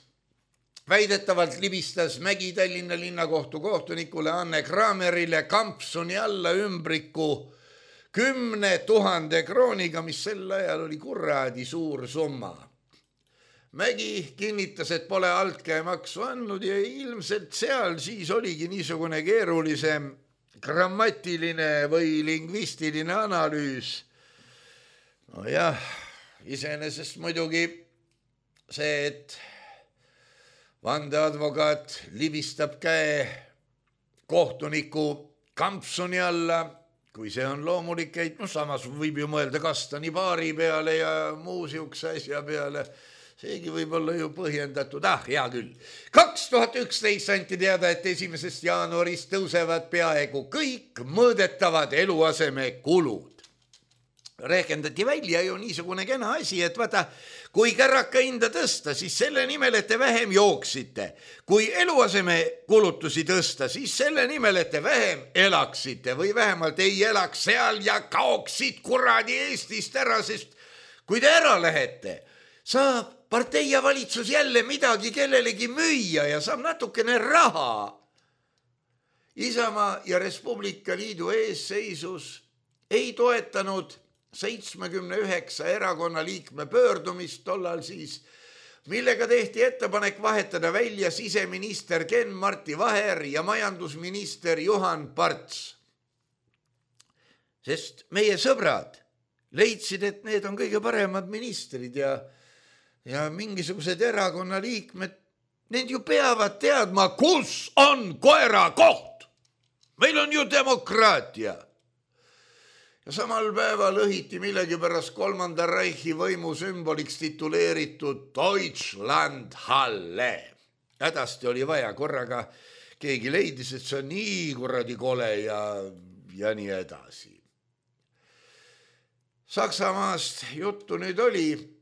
Väidetavalt libistas Mägi Tallinna linnakohtu kohtunikule Anne Kramerile kampsuni alla ümbriku kümne tuhande krooniga, mis sel ajal oli kuradi suur summa. Mägi kinnitas, et pole altkäemaksu andnud ja ilmselt seal siis oligi niisugune keerulisem grammatiline või lingvistiline analüüs. No jah, iseenesest muidugi see, et vandeadvokaat libistab käe kohtuniku kampsuni alla, kui see on loomulik, et no samas võib ju mõelda kastani baari peale ja muu siukse asja peale. Seegi võib olla ju põhjendatud, ah, hea küll. kaks tuhat üksteist anti teada, et esimesest jaanuarist tõusevad peaaegu kõik mõõdetavad eluaseme kulud. Rehkendati välja ju niisugune kena asi, et vaata, kui kärraka hinda tõsta, siis selle nimel, et te vähem jooksite. Kui eluaseme kulutusi tõsta, siis selle nimel, et te vähem elaksite või vähemalt ei elaks seal ja kaoksid kuradi Eestist ära, sest kui te ära lähete, saab partei ja valitsus jälle midagi kellelegi müüa ja saab natukene raha. Isamaa ja Res Publica Liidu eesseisus ei toetanud seitsmekümne üheksa erakonna liikme pöördumist tollal siis, millega tehti ettepanek vahetada välja siseminister Ken-Marti Vaher ja majandusminister Juhan Parts. Sest meie sõbrad leidsid, et need on kõige paremad ministrid ja Ja mingisugused erakonna liikmed, need ju peavad teadma, kus on koera koht. Meil on ju demokraatia. Ja samal päeval õhiti millegipärast kolmanda Reichi võimu sümboliks tituleeritud Deutschlandhalle. Hädasti oli vaja korraga, keegi leidis, et see on nii kuradi kole ja, ja nii edasi. Saksamaast juttu nüüd oli.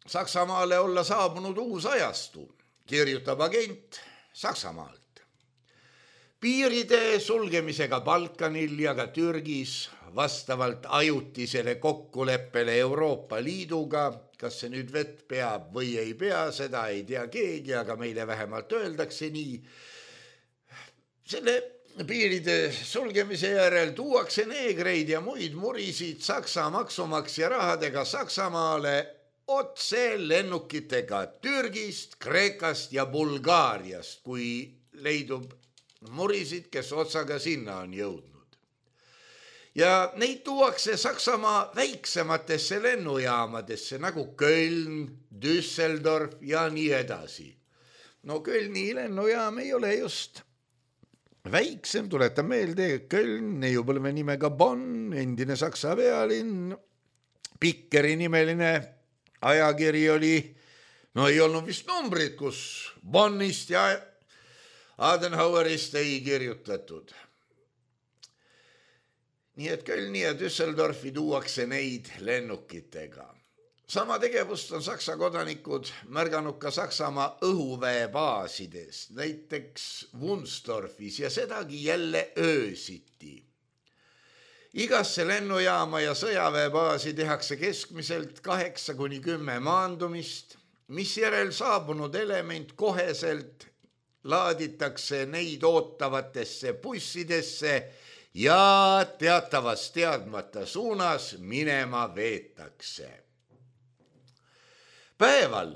Saksamaale olla saabunud uus ajastu, kirjutab agent Saksamaalt. Piiride sulgemisega Balkanil ja ka Türgis vastavalt ajutisele kokkuleppele Euroopa Liiduga, kas see nüüd vett peab või ei pea, seda ei tea keegi, aga meile vähemalt öeldakse nii. Selle piiride sulgemise järel tuuakse neegreid ja muid murisid Saksa maksumaksja rahadega Saksamaale otse lennukitega Türgist, Kreekast ja Bulgaariast, kui leidub murisid, kes otsaga sinna on jõudnud. Ja neid tuuakse Saksamaa väiksematesse lennujaamadesse nagu Köln, Düsseldorf ja nii edasi. No Kölni lennujaam ei ole just väiksem, tuletan meelde, Köln, neiupõlve nimega Bonn, endine Saksa pealinn, Pikkeri nimeline ajakiri oli, no ei olnud vist numbrid, kus Bonnist ja Adenauerist ei kirjutatud. Nii et Kölni ja Düsseldorfi tuuakse neid lennukitega. Sama tegevust on Saksa kodanikud märganud ka Saksamaa õhuväebaasides, näiteks Wunsdorfis ja sedagi jälle öösiti. Igasse lennujaama ja sõjaväebaasi tehakse keskmiselt kaheksa kuni kümme maandumist, mis järel saabunud element koheselt laaditakse neid ootavatesse bussidesse ja teatavas teadmata suunas minema veetakse. Päeval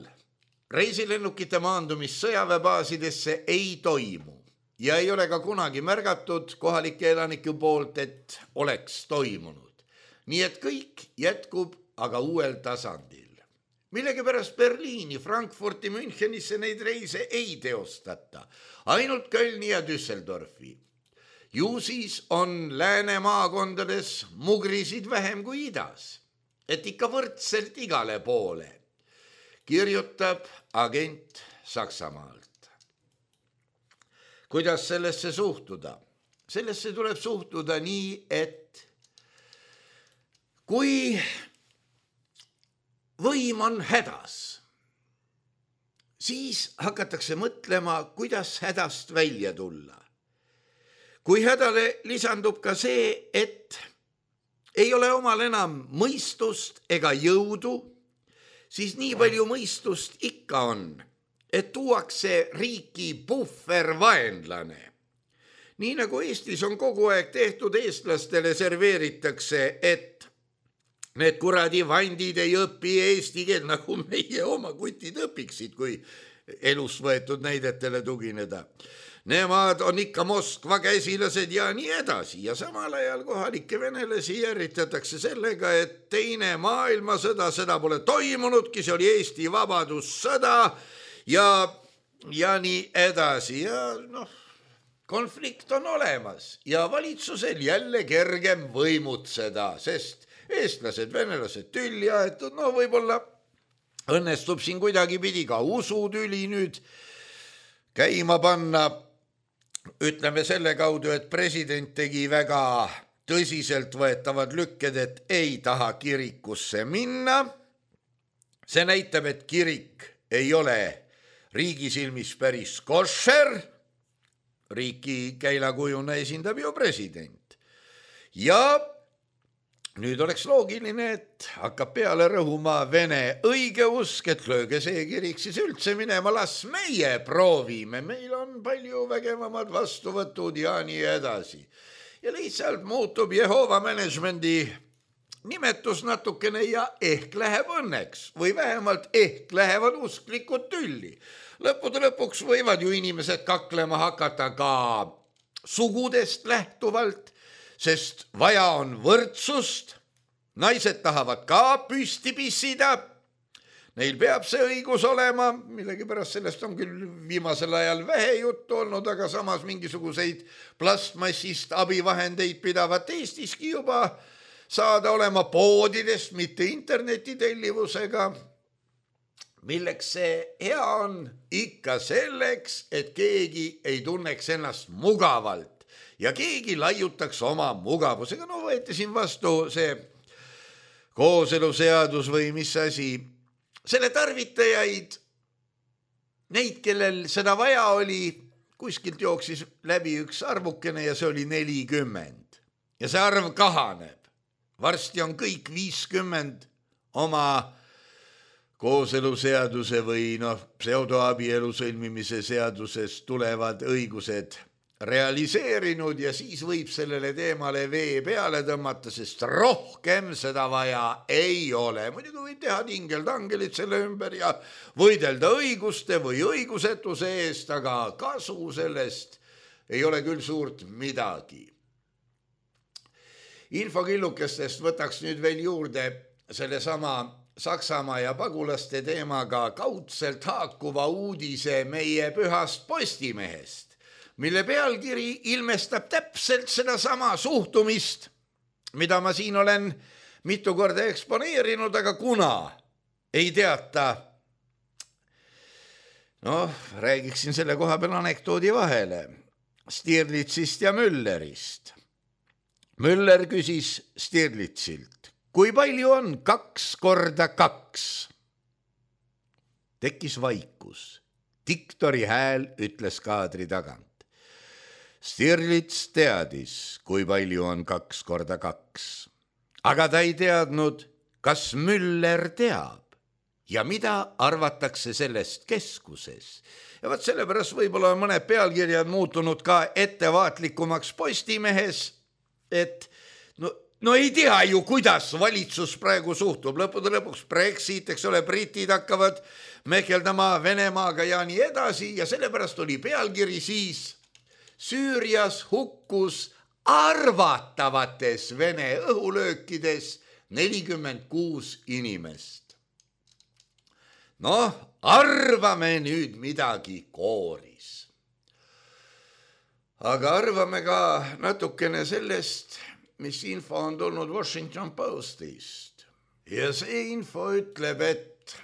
reisilennukite maandumist sõjaväebaasidesse ei toimu. Ja ei ole ka kunagi märgatud kohalike elanike poolt, et oleks toimunud. Nii et kõik jätkub aga uuel tasandil. Millegipärast Berliini, Frankfurti, Münchenisse neid reise ei teostata, ainult Kölni ja Düsseldorfi. Ju siis on lääne maakondades mugrisid vähem kui idas, et ikka võrdselt igale poole. kirjutab agent Saksamaalt. Kuidas sellesse suhtuda? Sellesse tuleb suhtuda nii, et kui võim on hädas, siis hakatakse mõtlema, kuidas hädast välja tulla. Kui hädale lisandub ka see, et ei ole omal enam mõistust ega jõudu, siis nii palju mõistust ikka on, et tuuakse riiki puhvervaenlane. Nii nagu Eestis on kogu aeg tehtud, eestlastele serveeritakse, et need kuradi vandid ei õpi eesti keel, nagu meie oma kutid õpiksid, kui elust võetud näidetele tugineda. Nemad on ikka Moskva käsilased ja nii edasi. Ja samal ajal kohalikke venelasi järritatakse sellega, et teine maailmasõda, seda pole toimunudki, see oli Eesti vabadussõda ja, ja nii edasi. Ja noh, konflikt on olemas ja valitsusel jälle kergem võimutseda, sest eestlased, venelased tülli aetud, no võib-olla õnnestub siin kuidagi pidi ka usutüli nüüd käima panna. Ütleme selle kaudu, et president tegi väga tõsiselt võetavad lükked, et ei taha kirikusse minna. See näitab, et kirik ei ole riigi silmis päris košer. Riiki käilakujuna esindab ju president. Ja nüüd oleks loogiline, et hakkab peale rõhuma vene õigeusk, et lööge see kirik siis üldse minema, las meie proovime, meil on palju vägevamad vastuvõtud ja nii edasi. Ja lihtsalt muutub Jehova managemendi nimetus natukene ja ehk läheb õnneks või vähemalt ehk lähevad usklikud tülli. Lõppude lõpuks võivad ju inimesed kaklema hakata ka sugudest lähtuvalt, sest vaja on võrdsust, naised tahavad ka püsti pissida, neil peab see õigus olema, millegipärast sellest on küll viimasel ajal vähe juttu olnud, aga samas mingisuguseid plastmassist abivahendeid pidavat Eestiski juba saada olema poodidest, mitte internetitellivusega. Milleks see hea on? Ikka selleks, et keegi ei tunneks ennast mugavalt ja keegi laiutaks oma mugavusega. No võeti siin vastu see kooseluseadus või mis asi. Selle tarvitajaid, neid, kellel seda vaja oli, kuskilt jooksis läbi üks arvukene ja see oli nelikümmend. Ja see arv kahaneb. Varsti on kõik viiskümmend oma kooseluseaduse või noh, pseudoabielu sõlmimise seadusest tulevad õigused realiseerinud ja siis võib sellele teemale vee peale tõmmata, sest rohkem seda vaja ei ole. Muidugi võib teha tingeltangelit selle ümber ja võidelda õiguste või õigusetuse eest, aga kasu sellest ei ole küll suurt midagi. Infokillukestest võtaks nüüd veel juurde selle sama Saksamaa ja pagulaste teemaga kaudselt haakuva uudise meie pühast Postimehest, mille pealkiri ilmestab täpselt seda sama suhtumist, mida ma siin olen mitu korda eksponeerinud, aga kuna ei teata, noh, räägiksin selle koha peal anekdoodi vahele, Stirlitzist ja Müllerist. Müller küsis Stirlitzilt, kui palju on kaks korda kaks? Tekkis vaikus. Diktori hääl ütles kaadri tagant. Stirlitz teadis, kui palju on kaks korda kaks. Aga ta ei teadnud, kas Müller teab ja mida arvatakse sellest keskuses. Ja vaat sellepärast võib-olla on mõned pealkirjad muutunud ka ettevaatlikumaks Postimehes, et no, no ei tea ju, kuidas valitsus praegu suhtub. Lõppude lõpuks Brexit, eks ole, britid hakkavad mehkeldama Venemaaga ja nii edasi ja sellepärast oli pealkiri siis Süürias hukkus arvatavates Vene õhulöökides nelikümmend kuus inimest. Noh, arvame nüüd midagi kooris. Aga arvame ka natukene sellest, mis info on tulnud Washington Postist. Ja see info ütleb, et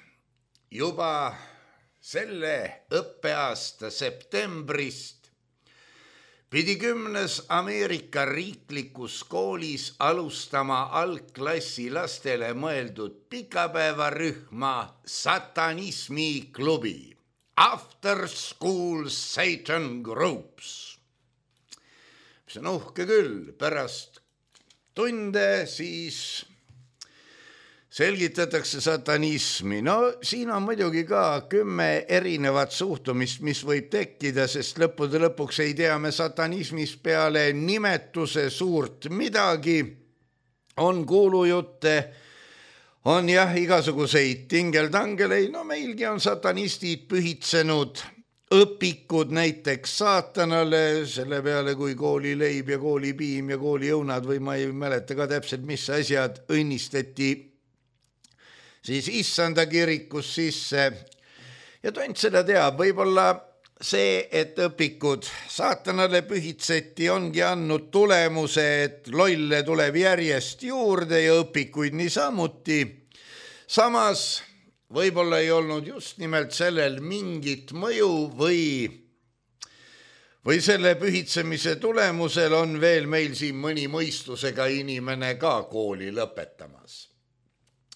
juba selle õppeaasta septembrist pidi kümnes Ameerika riiklikus koolis alustama algklassi lastele mõeldud pikapäevarühma satanismi klubi After School Satan Groups. See on uhke küll, pärast tunde siis selgitatakse satanismi. No siin on muidugi ka kümme erinevat suhtumist, mis võib tekkida, sest lõppude lõpuks ei tea me satanismis peale nimetuse suurt midagi. On kuulujutte, on jah igasuguseid tingeltangeleid, no meilgi on satanistid pühitsenud õpikud näiteks saatanale, selle peale kui koolileib ja koolipiim ja kooliõunad või ma ei mäleta ka täpselt, mis asjad õnnistati siis issanda kirikus sisse. Ja tont seda teab, võib-olla see, et õpikud saatanale pühitseti, ongi andnud tulemuse, et lolle tuleb järjest juurde ja õpikuid niisamuti. Samas võib-olla ei olnud just nimelt sellel mingit mõju või, või selle pühitsemise tulemusel on veel meil siin mõni mõistusega inimene ka kooli lõpetamas.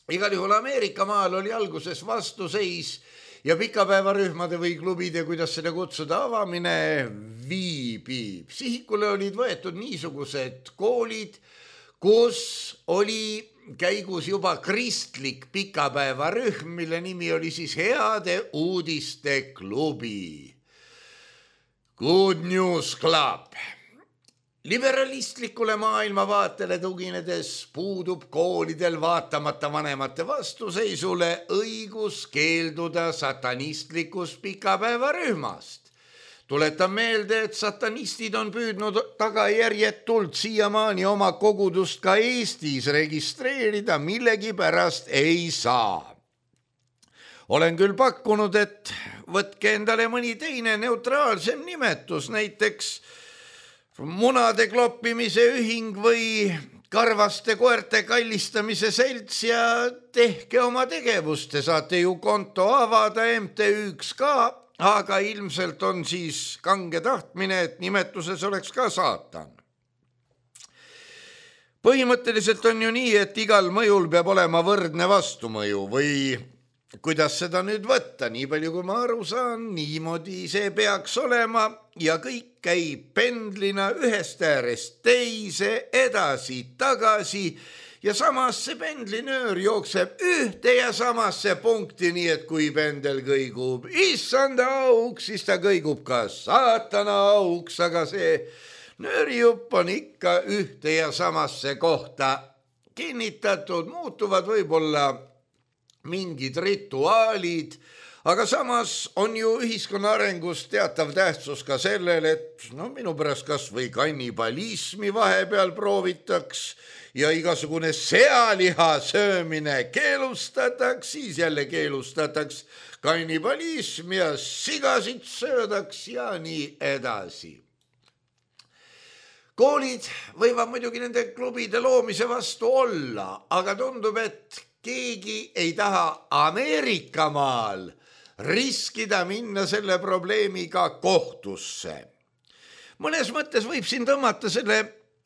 Igal juhul Ameerika maal oli alguses vastuseis ja pikapäevarühmade või klubide, kuidas seda kutsuda, avamine viibib. Sihikule olid võetud niisugused koolid, kus oli käigus juba kristlik pikapäevarühm, mille nimi oli siis Heade uudiste klubi. Good News Club. Liberalistlikule maailmavaatele tuginedes puudub koolidel vaatamata vanemate vastuseisule õigus keelduda satanistlikust pikapäevarühmast. Tuletan meelde, et satanistid on püüdnud tagajärjetult siiamaani oma kogudust ka Eestis registreerida, millegipärast ei saa. Olen küll pakkunud, et võtke endale mõni teine neutraalsem nimetus, näiteks munade kloppimise ühing või karvaste koerte kallistamise selts ja tehke oma tegevust. Te saate ju konto avada M T Üks ka, aga ilmselt on siis kange tahtmine, et nimetuses oleks ka saatan. Põhimõtteliselt on ju nii, et igal mõjul peab olema võrdne vastumõju või kuidas seda nüüd võtta, nii palju kui ma aru saan, niimoodi see peaks olema ja kõik käib pendlina ühest äärest teise, edasi, tagasi ja samas see pendlinöör jookseb ühte ja samasse punkti, nii et kui pendel kõigub issanda auks, siis ta kõigub ka saatana auks, aga see nöörijupp on ikka ühte ja samasse kohta kinnitatud, muutuvad võib-olla mingid rituaalid, aga samas on ju ühiskonna arengus teatav tähtsus ka sellel, et no minu pärast kas või kannibalismi vahepeal proovitaks ja igasugune sealiha söömine keelustataks, siis jälle keelustataks kannibalism ja sigasid söödaks ja nii edasi. Koolid võivad muidugi nende klubide loomise vastu olla, aga tundub, et keegi ei taha Ameerikamaal riskida minna selle probleemiga kohtusse. Mõnes mõttes võib siin tõmmata selle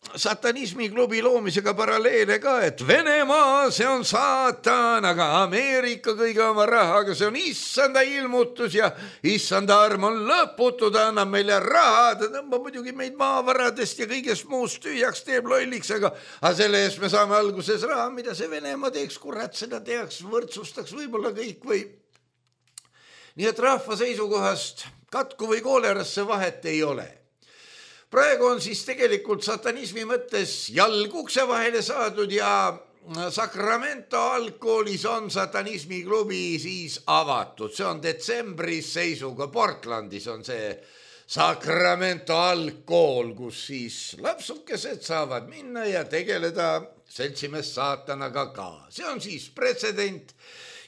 satanismi klubi loomisega paralleele ka, et Venemaa, see on saatan, aga Ameerika kõige oma rahaga, see on issanda ilmutus ja issanda arm on lõputu, ta annab meile raha, ta tõmbab muidugi meid maavaradest ja kõigest muust tühjaks, teeb lolliks, aga, aga selle eest me saame alguses raha, mida see Venemaa teeks, kurat, seda teaks, võrdsustaks võib-olla kõik või. Nii et rahva seisukohast katku või koolerasse vahet ei ole. Praegu on siis tegelikult satanismi mõttes jalg ukse vahele saadud ja Sacramento algkoolis on satanismi klubi siis avatud. See on detsembris seisuga, Portlandis on see Sacramento algkool, kus siis lapsukesed saavad minna ja tegeleda seltsimees saatanaga ka. See on siis pretsedent.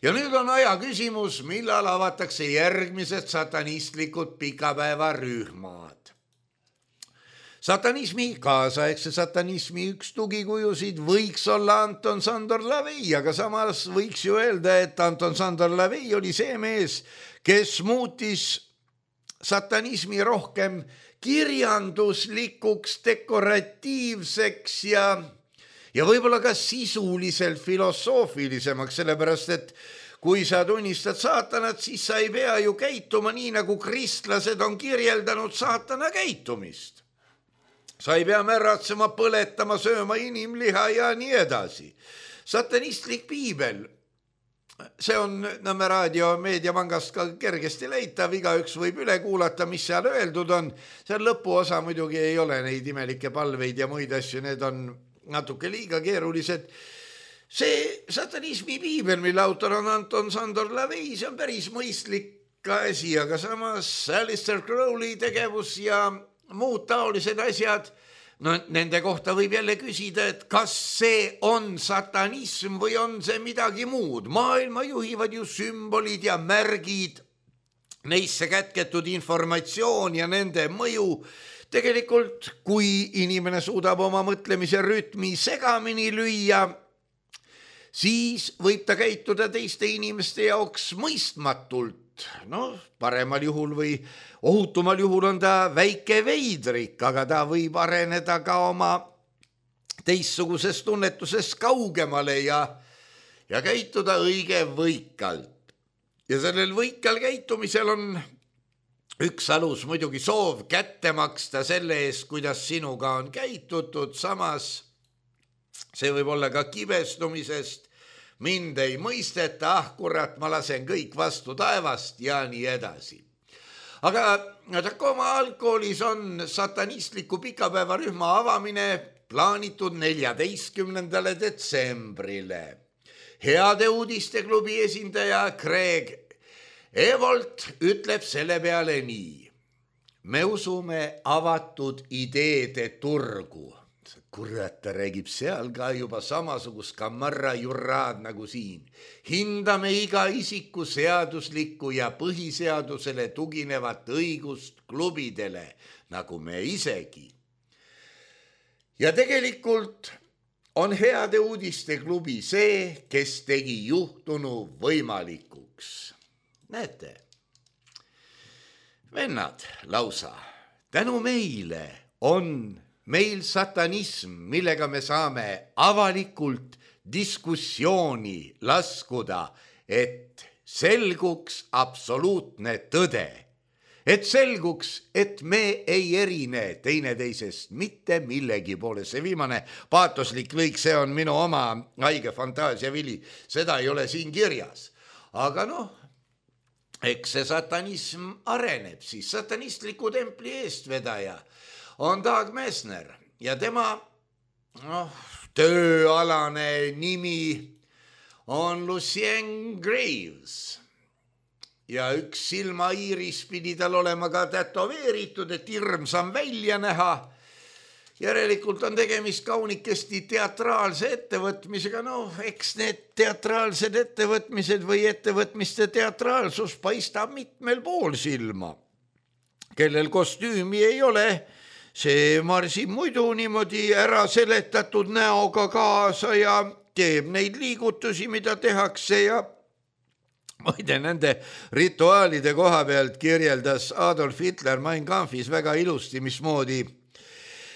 Ja nüüd on aja küsimus, millal avatakse järgmised satanistlikud pikapäevarühmad. Satanismi, kaasaegse satanismi üks tugikujusid võiks olla Anton Sandor Lavey, aga samas võiks ju öelda, et Anton Sandor Lavey oli see mees, kes muutis satanismi rohkem kirjanduslikuks, dekoratiivseks ja, ja võib-olla ka sisuliselt filosoofilisemaks, sellepärast et kui sa tunnistad saatanat, siis sa ei pea ju käituma nii, nagu kristlased on kirjeldanud saatana käitumist. Sa ei pea märratsema, põletama, sööma inimliha ja nii edasi. Satanistlik piibel, see on Nõmme raadio meediapangast ka kergesti leitav, igaüks võib üle kuulata, mis seal öeldud on. Seal lõpuosa muidugi ei ole neid imelikke palveid ja muid asju, need on natuke liiga keerulised. See satanismi piibel, mille autor on Anton Sandor Lavey, see on päris mõistlik asi, aga samas Alistair Crowley tegevus ja muud taolised asjad, no nende kohta võib jälle küsida, et kas see on satanism või on see midagi muud. Maailma juhivad ju sümbolid ja märgid, neisse kätketud informatsioon ja nende mõju. Tegelikult, kui inimene suudab oma mõtlemise rütmi segamini lüüa, siis võib ta käituda teiste inimeste jaoks mõistmatult. No, paremal juhul või ohutumal juhul on ta väike veidrik, aga ta võib areneda ka oma teistsugusest tunnetusest kaugemale ja, ja käituda õige võikalt. Ja sellel võikal käitumisel on üks alus muidugi soov kätte maksta selle eest, kuidas sinuga on käitutud, samas see võib olla ka kibestumisest, mind ei mõisteta, ah kurat, ma lasen kõik vastu taevast ja nii edasi. Aga Tacoma algkoolis on satanistliku pikapäevarühma avamine plaanitud neljateistkümnendale detsembrile. Heade uudiste klubi esindaja Craig Evolt ütleb selle peale nii. Me usume avatud ideede turgu. Kurat, ta räägib seal ka juba samasugust kamarra jurraad nagu siin. Hindame iga isiku seaduslikku ja põhiseadusele tuginevat õigust klubidele, nagu me isegi. Ja tegelikult on heade uudiste klubi see, kes tegi juhtunu võimalikuks. Näete, vennad lausa, tänu meile on meil satanism, millega me saame avalikult diskussiooni laskuda, et selguks absoluutne tõde. Et selguks, et me ei erine teineteisest mitte millegi poole. See viimane paatoslik lõik, see on minu oma haige fantaasia vili. Seda ei ole siin kirjas. Aga noh, eks see satanism areneb siis. Satanistliku templi eestvedaja on Doug Messner ja tema noh, tööalane nimi on Lucien Graves. Ja üks silmaiiris pidi tal olema ka tätoveeritud, et hirmsam välja näha. Järelikult on tegemist kaunikesti teatraalse ettevõtmisega. No, eks need teatraalsed ettevõtmised või ettevõtmiste teatraalsus paistab mitmel pool silma. Kellel kostüümi ei ole, see marsib muidu niimoodi ära seletatud näoga kaasa ja teeb neid liigutusi, mida tehakse ja muide nende rituaalide koha pealt kirjeldas Adolf Hitler Mein Kampfis väga ilusti, mismoodi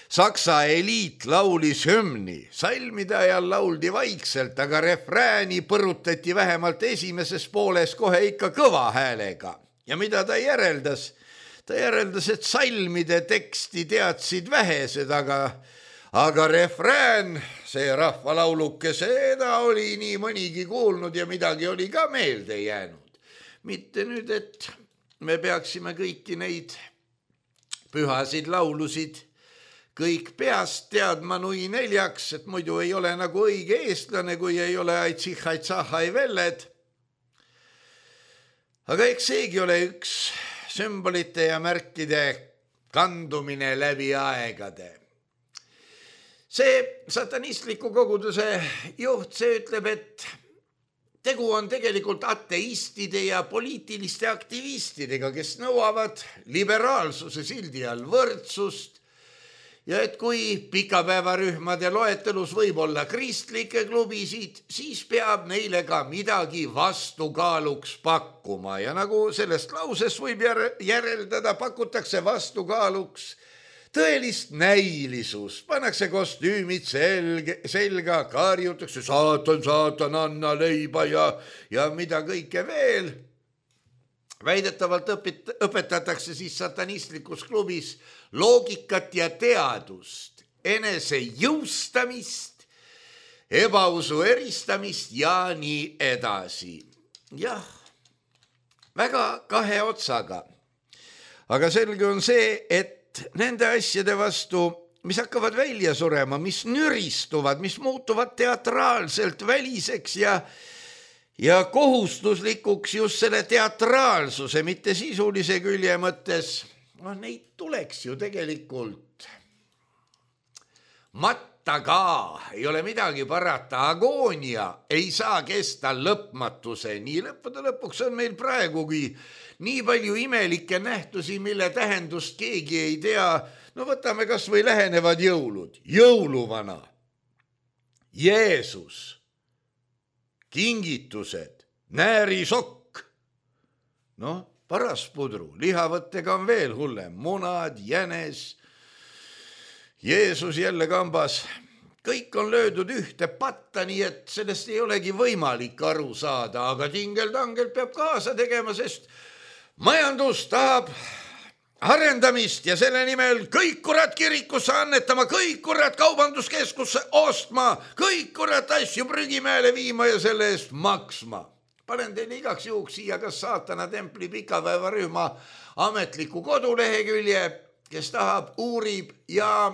Saksa eliit laulis hümni. Salmide ajal lauldi vaikselt, aga refrääni põrutati vähemalt esimeses pooles kohe ikka kõva häälega. Ja mida ta järeldas? Ta järeldas, et salmide teksti teadsid vähesed, aga, aga refrään, see rahvalauluke, seda oli nii mõnigi kuulnud ja midagi oli ka meelde jäänud. Mitte nüüd, et me peaksime kõiki neid pühasid laulusid kõik peast teadma nui neljaks, et muidu ei ole nagu õige eestlane, kui ei ole aitsihai-tsahai velled. Aga eks seegi ole üks sümbolite ja märkide kandumine läbi aegade. See satanistliku koguduse juht, see ütleb, et tegu on tegelikult ateistide ja poliitiliste aktivistidega, kes nõuavad liberaalsuse sildi all võrdsust ja et kui pikapäevarühmade loetelus võib olla kristlikke klubisid, siis peab neile ka midagi vastukaaluks pakkuma ja nagu sellest lausest võib järeldada, pakutakse vastukaaluks tõelist näilisust, pannakse kostüümid selge, selga, karjutakse saatan, saatan, anna leiba ja, ja mida kõike veel. Väidetavalt õpet, õpetatakse siis satanistlikus klubis loogikat ja teadust, enese jõustamist, ebausu eristamist ja nii edasi. Jah, väga kahe otsaga. Aga selge on see, et nende asjade vastu, mis hakkavad välja surema, mis nüristuvad, mis muutuvad teatraalselt väliseks ja, ja kohustuslikuks just selle teatraalsuse, mitte sisulise külje mõttes, no neid tuleks ju tegelikult matta ka, ei ole midagi parata, agoonia ei saa kesta lõpmatuse, nii lõppude lõpuks on meil praegugi nii palju imelikke nähtusi, mille tähendust keegi ei tea. No võtame kas või lähenevad jõulud, jõuluvana, Jeesus, kingitused, näärisokk, no paraspudru, lihavõttega on veel hullem, munad, jänes, Jeesus jälle kambas, kõik on löödud ühte patta, nii et sellest ei olegi võimalik aru saada, aga tingel-tangel peab kaasa tegema, sest majandus tahab arendamist ja selle nimel kõik kurat kirikusse annetama, kõik kurat kaubanduskeskusse ostma, kõik kurat asju prügimäele viima ja selle eest maksma. Panen teile igaks juhuks siia kas saatana templi pikapäevarühma ametliku kodulehekülje, kes tahab, uurib ja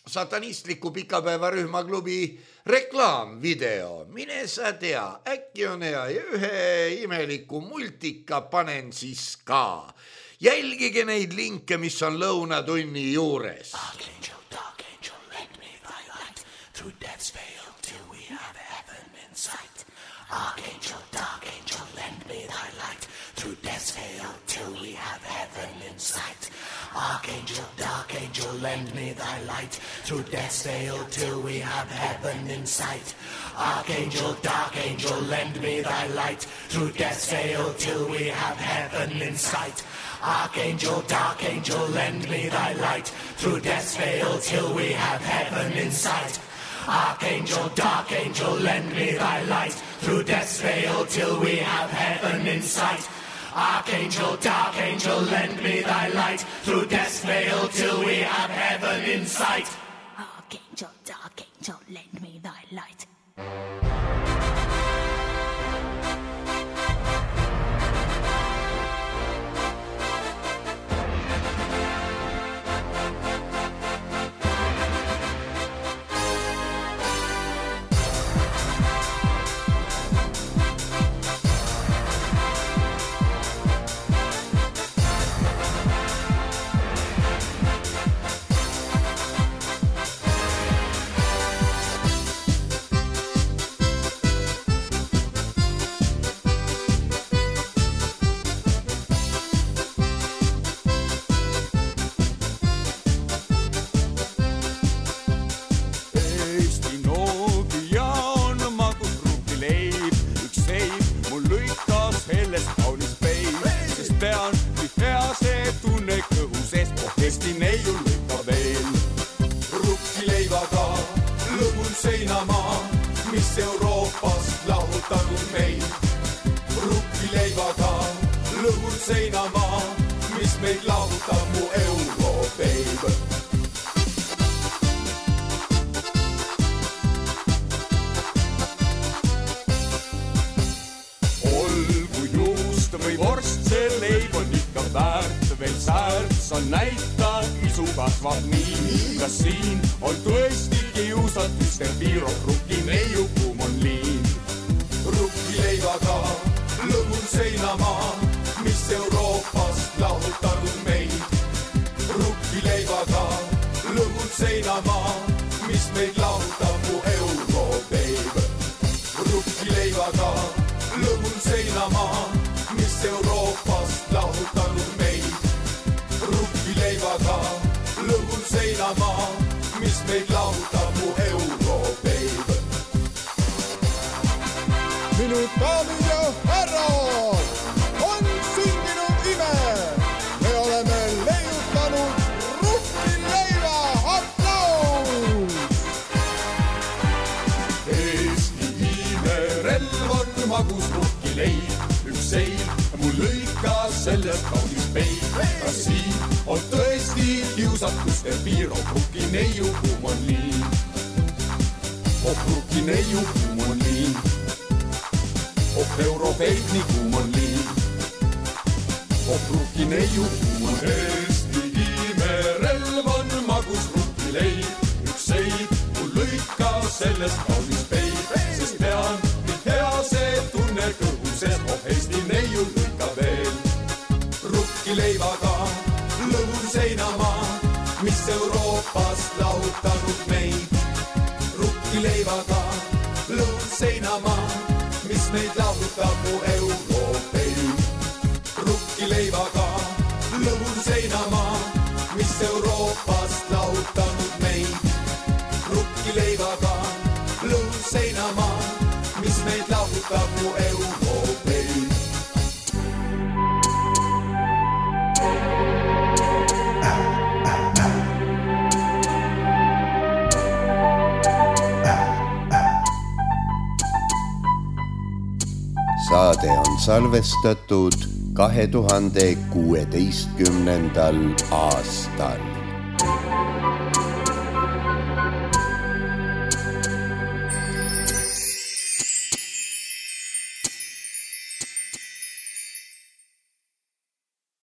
satanistliku pikapäevarühma klubi reklaamvideo. Mine sa tea, äkki on hea ja ühe imeliku multika panen siis ka. Jälgige neid linke, mis on lõunatunni juures. Archangel, dark angel, lend me thy light through death's veil till we have heaven in sight. Archangel, dark angel, lend me thy light through death's veil till we have heaven in sight. Archangel, dark angel, lend me thy light through death's veil till we have heaven in sight. Archangel, dark angel, lend me thy light through death's veil till we have heaven in sight. Archangel, dark angel, lend me thy light through death's veil till we have heaven in sight. Archangel, dark angel, lend me thy light through death's veil till we have heaven in sight. Archangel, dark angel, lend me thy light through death's veil till we have heaven in sight. Archangel, dark angel, lend me thy light. Rukkileivaga lõhun seinamaa, meid lahutab mu Europeid. Minu daamid ja härrad, on sündinud ime. Me oleme leiutanud rukkileiva. Aplaus! Eesti imerelv on magus rukkileib. Üks seil mul lõikas sellest kaunis peil. Kas siin on tõesti kiusakuste piir? Oh rukkineiu kuum on liin. Oh rukkineiu kuum on liin. Oh Europeid nii kuum on liin. Oh rukkineiu kuum on Eesti imerelv on magus rukkileib. Üks seib mul lõikas sellest kaunis peil. Sest pean mind hea see tunne kõhuses. Oh Eesti neiu lõika veel rukkileivaga lõhun seinamaa, mis Euroopast lahutanud meid. Rukkileivaga lõhun seinamaa, mis meid lahutab mu Europeid. Rukkileivaga lõhun seinamaa, mis Euroopast lahutanud meid. Rukkileivaga lõhun seinamaa, mis meid lahutab mu Europeid. Saade on salvestatud kahe tuhande kuueteistkümnendal aastal.